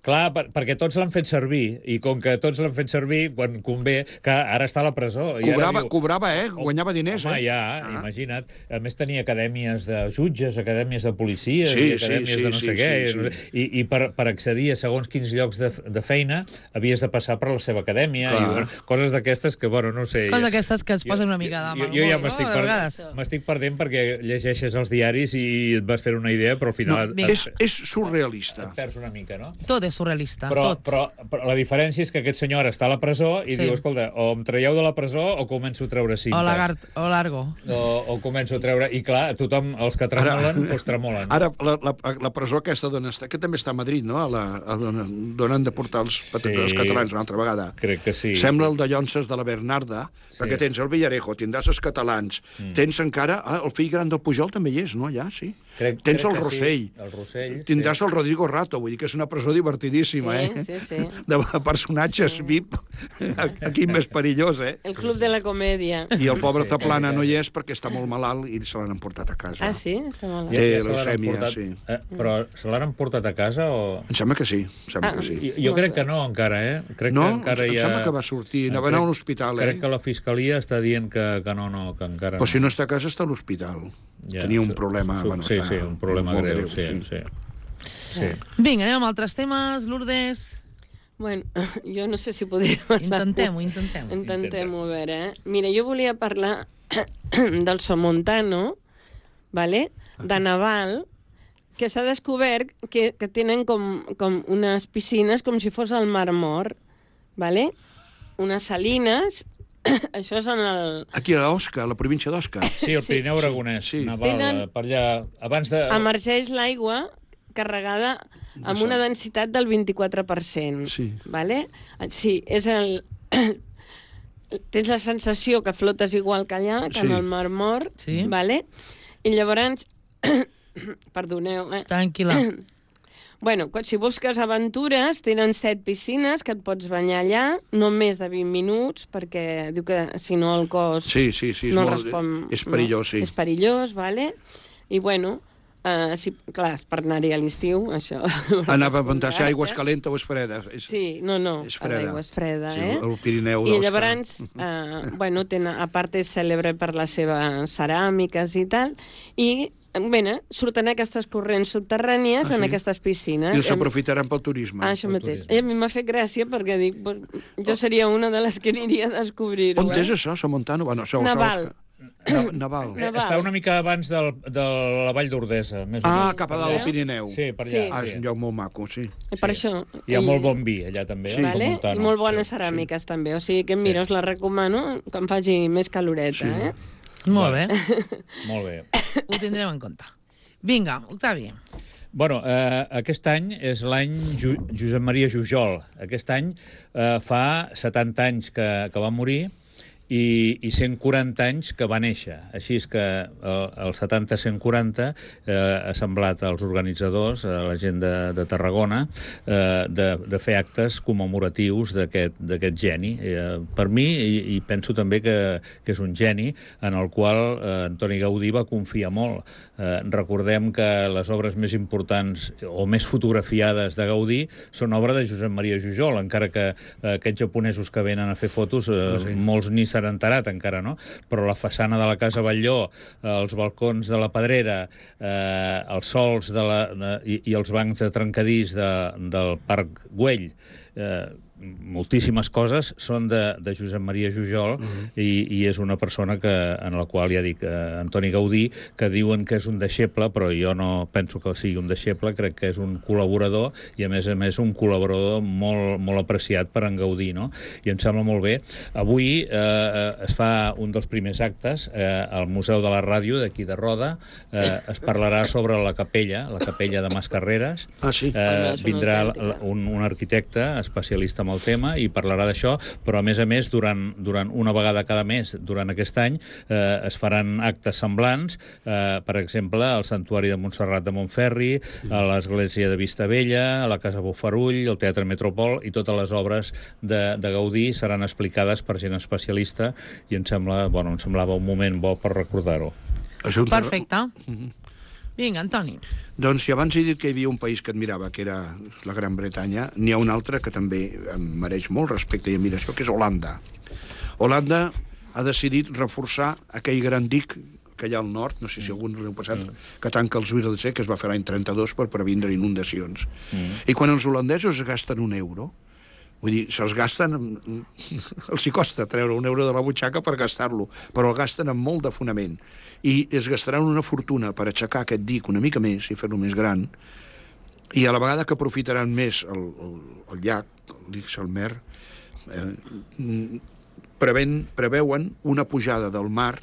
Clar, per, perquè tots l'han fet servir, i com que tots l'han fet servir, quan convé, que ara està a la presó. I Cobrava, ara diu, cobrava, eh? Guanyava diners, home, eh? ja, Ah. imagina't. A més, tenia acadèmies de jutges, acadèmies de policies, Sí, i acadèmies sí, sí, de no sí, sé què. sí, i no sé- I, i per, per accedir a segons quins llocs de, de feina havies de passar per la seva acadèmia, Clar. i bueno, coses d'aquestes que, bueno, no sé... Coses d'aquestes que es posen una mica de Jo, mal jo ja humor, m'estic no? De per, vegades. m'estic perdent perquè llegeixes els diaris i et vas fer una idea, però al No, final Vinga. et, és, és surrealista. et perds una mica, no? Tot és surrealista, Però, tot. però, però la diferència és que aquest senyor ara està a la presó i Sí. diu, escolta, o em traieu de la presó o començo a treure cintes. O lagart, o largo. O, o començo a treure... I clar, tothom, els que tremolen, doncs tremolen. Ara, la, la, la presó aquesta d'on està, que també està a Madrid, no? A la, a d'on d'on han de portar els, Sí. els catalans una altra vegada. Crec que sí. Sembla el de Llonses de la Bernarda, Sí. perquè tens el Villarejo, tindràs els catalans, mm. tens encara... Ah, el fill gran del Pujol també hi és, no? Ja, sí. Crec, tens crec el que Rossell. Sí. El Rossell, Tindràs sí. el Rodrigo Rato, vull dir que és una presó divertidíssima, Sí, eh? sí, sí. De personatges Sí. V I P, aquí més perillós, eh? El club de la comèdia. I el pobre Sí, Zaplana sí. no hi és perquè està molt malalt i se l'han emportat a casa. Ah, sí? Està malalt. Té se l'han leucèmia, emportat- sí. Eh, però se l'han emportat a casa o...? Em sembla que sí, em sembla Ah. que sí. Jo, jo crec que no, encara, eh? Crec No? que encara Em hi ha... sembla que va sortir, anava a anar a un hospital, eh? Crec que la fiscalia està dient que, que no, no, que encara Però no. si no està a casa, està a l'hospital. Ja, Tenia un su- problema... su- bueno, sí, està sí, un problema molt greu, sí, sí. sí. Vinga, anem amb altres temes. Lourdes. Bueno, jo no sé si podria parlar. Intentem-ho, intentem-ho. Intentem-ho, a veure. Eh? Mira, jo volia parlar del Somontano, vale? De Naval, que s'ha descobert que, que tenen com, com unes piscines com si fos el Mar Mort, vale? Unes salines, això és en el... Aquí a Osca, a la província d'Osca. Sí, el Pirineu Aragonès. Sí. Naval, Tenen- per allà, abans de... Emergeix l'aigua carregada amb una densitat del vint-i-quatre per cent. Sí. Vale? Sí, és el... Tens la sensació que flotes igual que allà, que Sí. en el Mar Mort, Sí. vale? I llavors... Perdoneu, eh? Tranquil·la. Bueno, quan- si busques aventures, tenen set piscines que et pots banyar allà, no més de vint minuts, perquè diu que si no el cos Sí, sí, sí, és no molt- respon... és perillós, no? sí. És perillós, vale? I bueno, uh, si, clar, és per anar-hi a l'estiu, això. Anava a preguntar si aigua és calenta o és freda. És, Sí, no, no, és freda. l'aigua és freda, Sí, eh? el Pirineu I d'Osca. llavors, uh, bueno, tenen, a part és cèlebre per les seves ceràmiques i tal, i Bé, surten aquestes corrents subterrànies Ah, en sí? aquestes piscines. I els aprofitaran pel turisme. Ah, això Pel mateix. turisme. I a mi m'ha fet gràcia perquè dic, pues, jo seria una de les que aniria a descobrir-ho. On eh? és això, Somontano? Bueno, això, Naval. Això, Na- Naval. Naval. Està una mica abans del, de la Vall d'Ordesa. Més o Ah, menys. cap a dalt, al Pirineu. Sí, per allà. Sí. Ah, és un lloc molt maco, sí. I per Sí. això... Hi ha i- molt bon vi allà també. Sí. al Vale? Somontano. I molt bones ceràmiques, també. O sigui que, mira, us la recomano que em faci més caloreta, Sí. eh? Molt bé, Molt bé. ho tindrem en compte. Vinga, Octavi. Bueno, eh, aquest any és l'any Ju Josep Maria Jujol. Aquest any eh, fa setanta anys que, que va morir i, i cent quaranta anys que va néixer. Així és que el, el setanta cent quaranta eh, ha semblat als organitzadors, a la gent de, de Tarragona, eh, de, de fer actes commemoratius d'aquest geni. Eh, per mi, i, i penso també que, que és un geni, en el qual eh, Antoni Gaudí va confiar molt. Eh, recordem que les obres més importants o més fotografiades de Gaudí són obra de Josep Maria Jujol, encara que eh, aquests japonesos que venen a fer fotos, eh, sí. molts ni s'han enterat encara, no? Però la façana de la Casa Batlló, eh, els balcons de la Pedrera, eh, els sols de la, de, i, i els bancs de trencadís de, del Parc Güell, eh, moltíssimes coses són de, de Josep Maria Jujol, uh-huh. i, i és una persona que, en la qual ja dic, eh, Antoni Gaudí, que diuen que és un deixeble, però jo no penso que sigui un deixeble, crec que és un col·laborador, i a més a més un col·laborador molt, molt apreciat per en Gaudí, no? I em sembla molt bé. Avui eh, es fa un dels primers actes eh, al Museu de la Ràdio d'aquí de Roda, eh, es parlarà sobre la capella, la capella de Mascarreres. Ah, sí? Eh, Home, és una vindrà autèntica. un, un arquitecte especialista en el tema i parlarà d'això, però a més a més durant, durant una vegada cada mes durant aquest any eh, es faran actes semblants, eh, per exemple al Santuari de Montserrat de Montferri, a l'Església de Vistabella, a la Casa Bofarull, al Teatre Metropol, i totes les obres de, de Gaudí seran explicades per gent especialista, i em sembla, bueno, em semblava un moment bo per recordar-ho. Això, Perfecte. Vinga, Antoni. Doncs si abans he dit que hi havia un país que admirava, que era la Gran Bretanya, n'hi ha un altre que també em mereix molt respecte i admiració, que és Holanda. Holanda ha decidit reforçar aquell gran dic que hi ha al nord, no sé si algun l'heu passat, mm. que tanca els Wirdse, que es va fer l'any trenta-dos per previndre inundacions. Mm. I quan els holandesos es gasten un euro, vull dir, se'ls gasten... els hi costa treure un euro de la butxaca per gastar-lo, però el gasten amb molt de fonament. I es gastaran una fortuna per aixecar aquest dic una mica més i fer-lo més gran, i a la vegada que aprofitaran més el, el, el llac, l'Ixelmer, eh, preven, preveuen una pujada del mar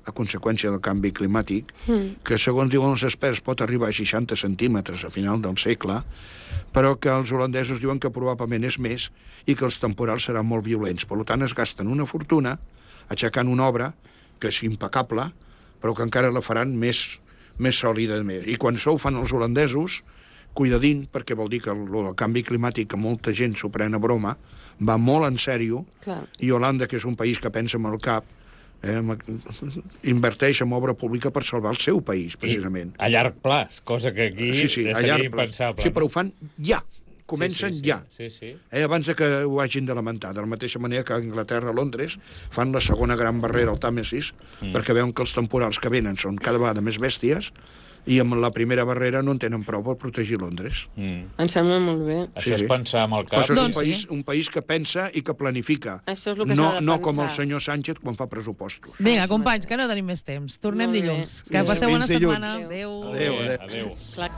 a conseqüència del canvi climàtic, mm. que segons diuen els experts pot arribar a seixanta centímetres a final del segle, però que els holandesos diuen que probablement és més i que els temporals seran molt violents. Per tant, es gasten una fortuna aixecant una obra que és impecable, però que encara la faran més, més sòlida. Més. I quan això ho fan els holandesos, cuidadín, perquè vol dir que el, el canvi climàtic, que molta gent s'ho pren a broma, va molt en sèrio, Clar. i Holanda, que és un país que pensa amb el cap, eh, inverteix en obra pública per salvar el seu país, precisament. I a llarg plaç, cosa que aquí sí, sí, a seria llarg plaç. impensable. Sí, però ho fan ja. Comencen sí, sí, sí. ja. Sí, sí. Eh, abans de que ho hagin de lamentar. De la mateixa manera que a Anglaterra, a Londres, fan la segona gran barrera al Tàmesis, mm. perquè veuen que els temporals que venen són cada vegada més bèsties, I amb la primera barrera no en tenen prou per protegir Londres. Mm. Em sembla molt bé. Això és pensar amb el Però cap. això és un Doncs país, sí. un país que pensa i que planifica. Això és el que no, s'ha de no com el pensar. senyor Sánchez quan fa pressupostos. Vinga, companys, que no tenim més temps. Tornem Molt bé. dilluns. Que Adéu. passeu bona Fins dilluns. setmana. Adéu. Adéu, adéu. Adéu. Clar.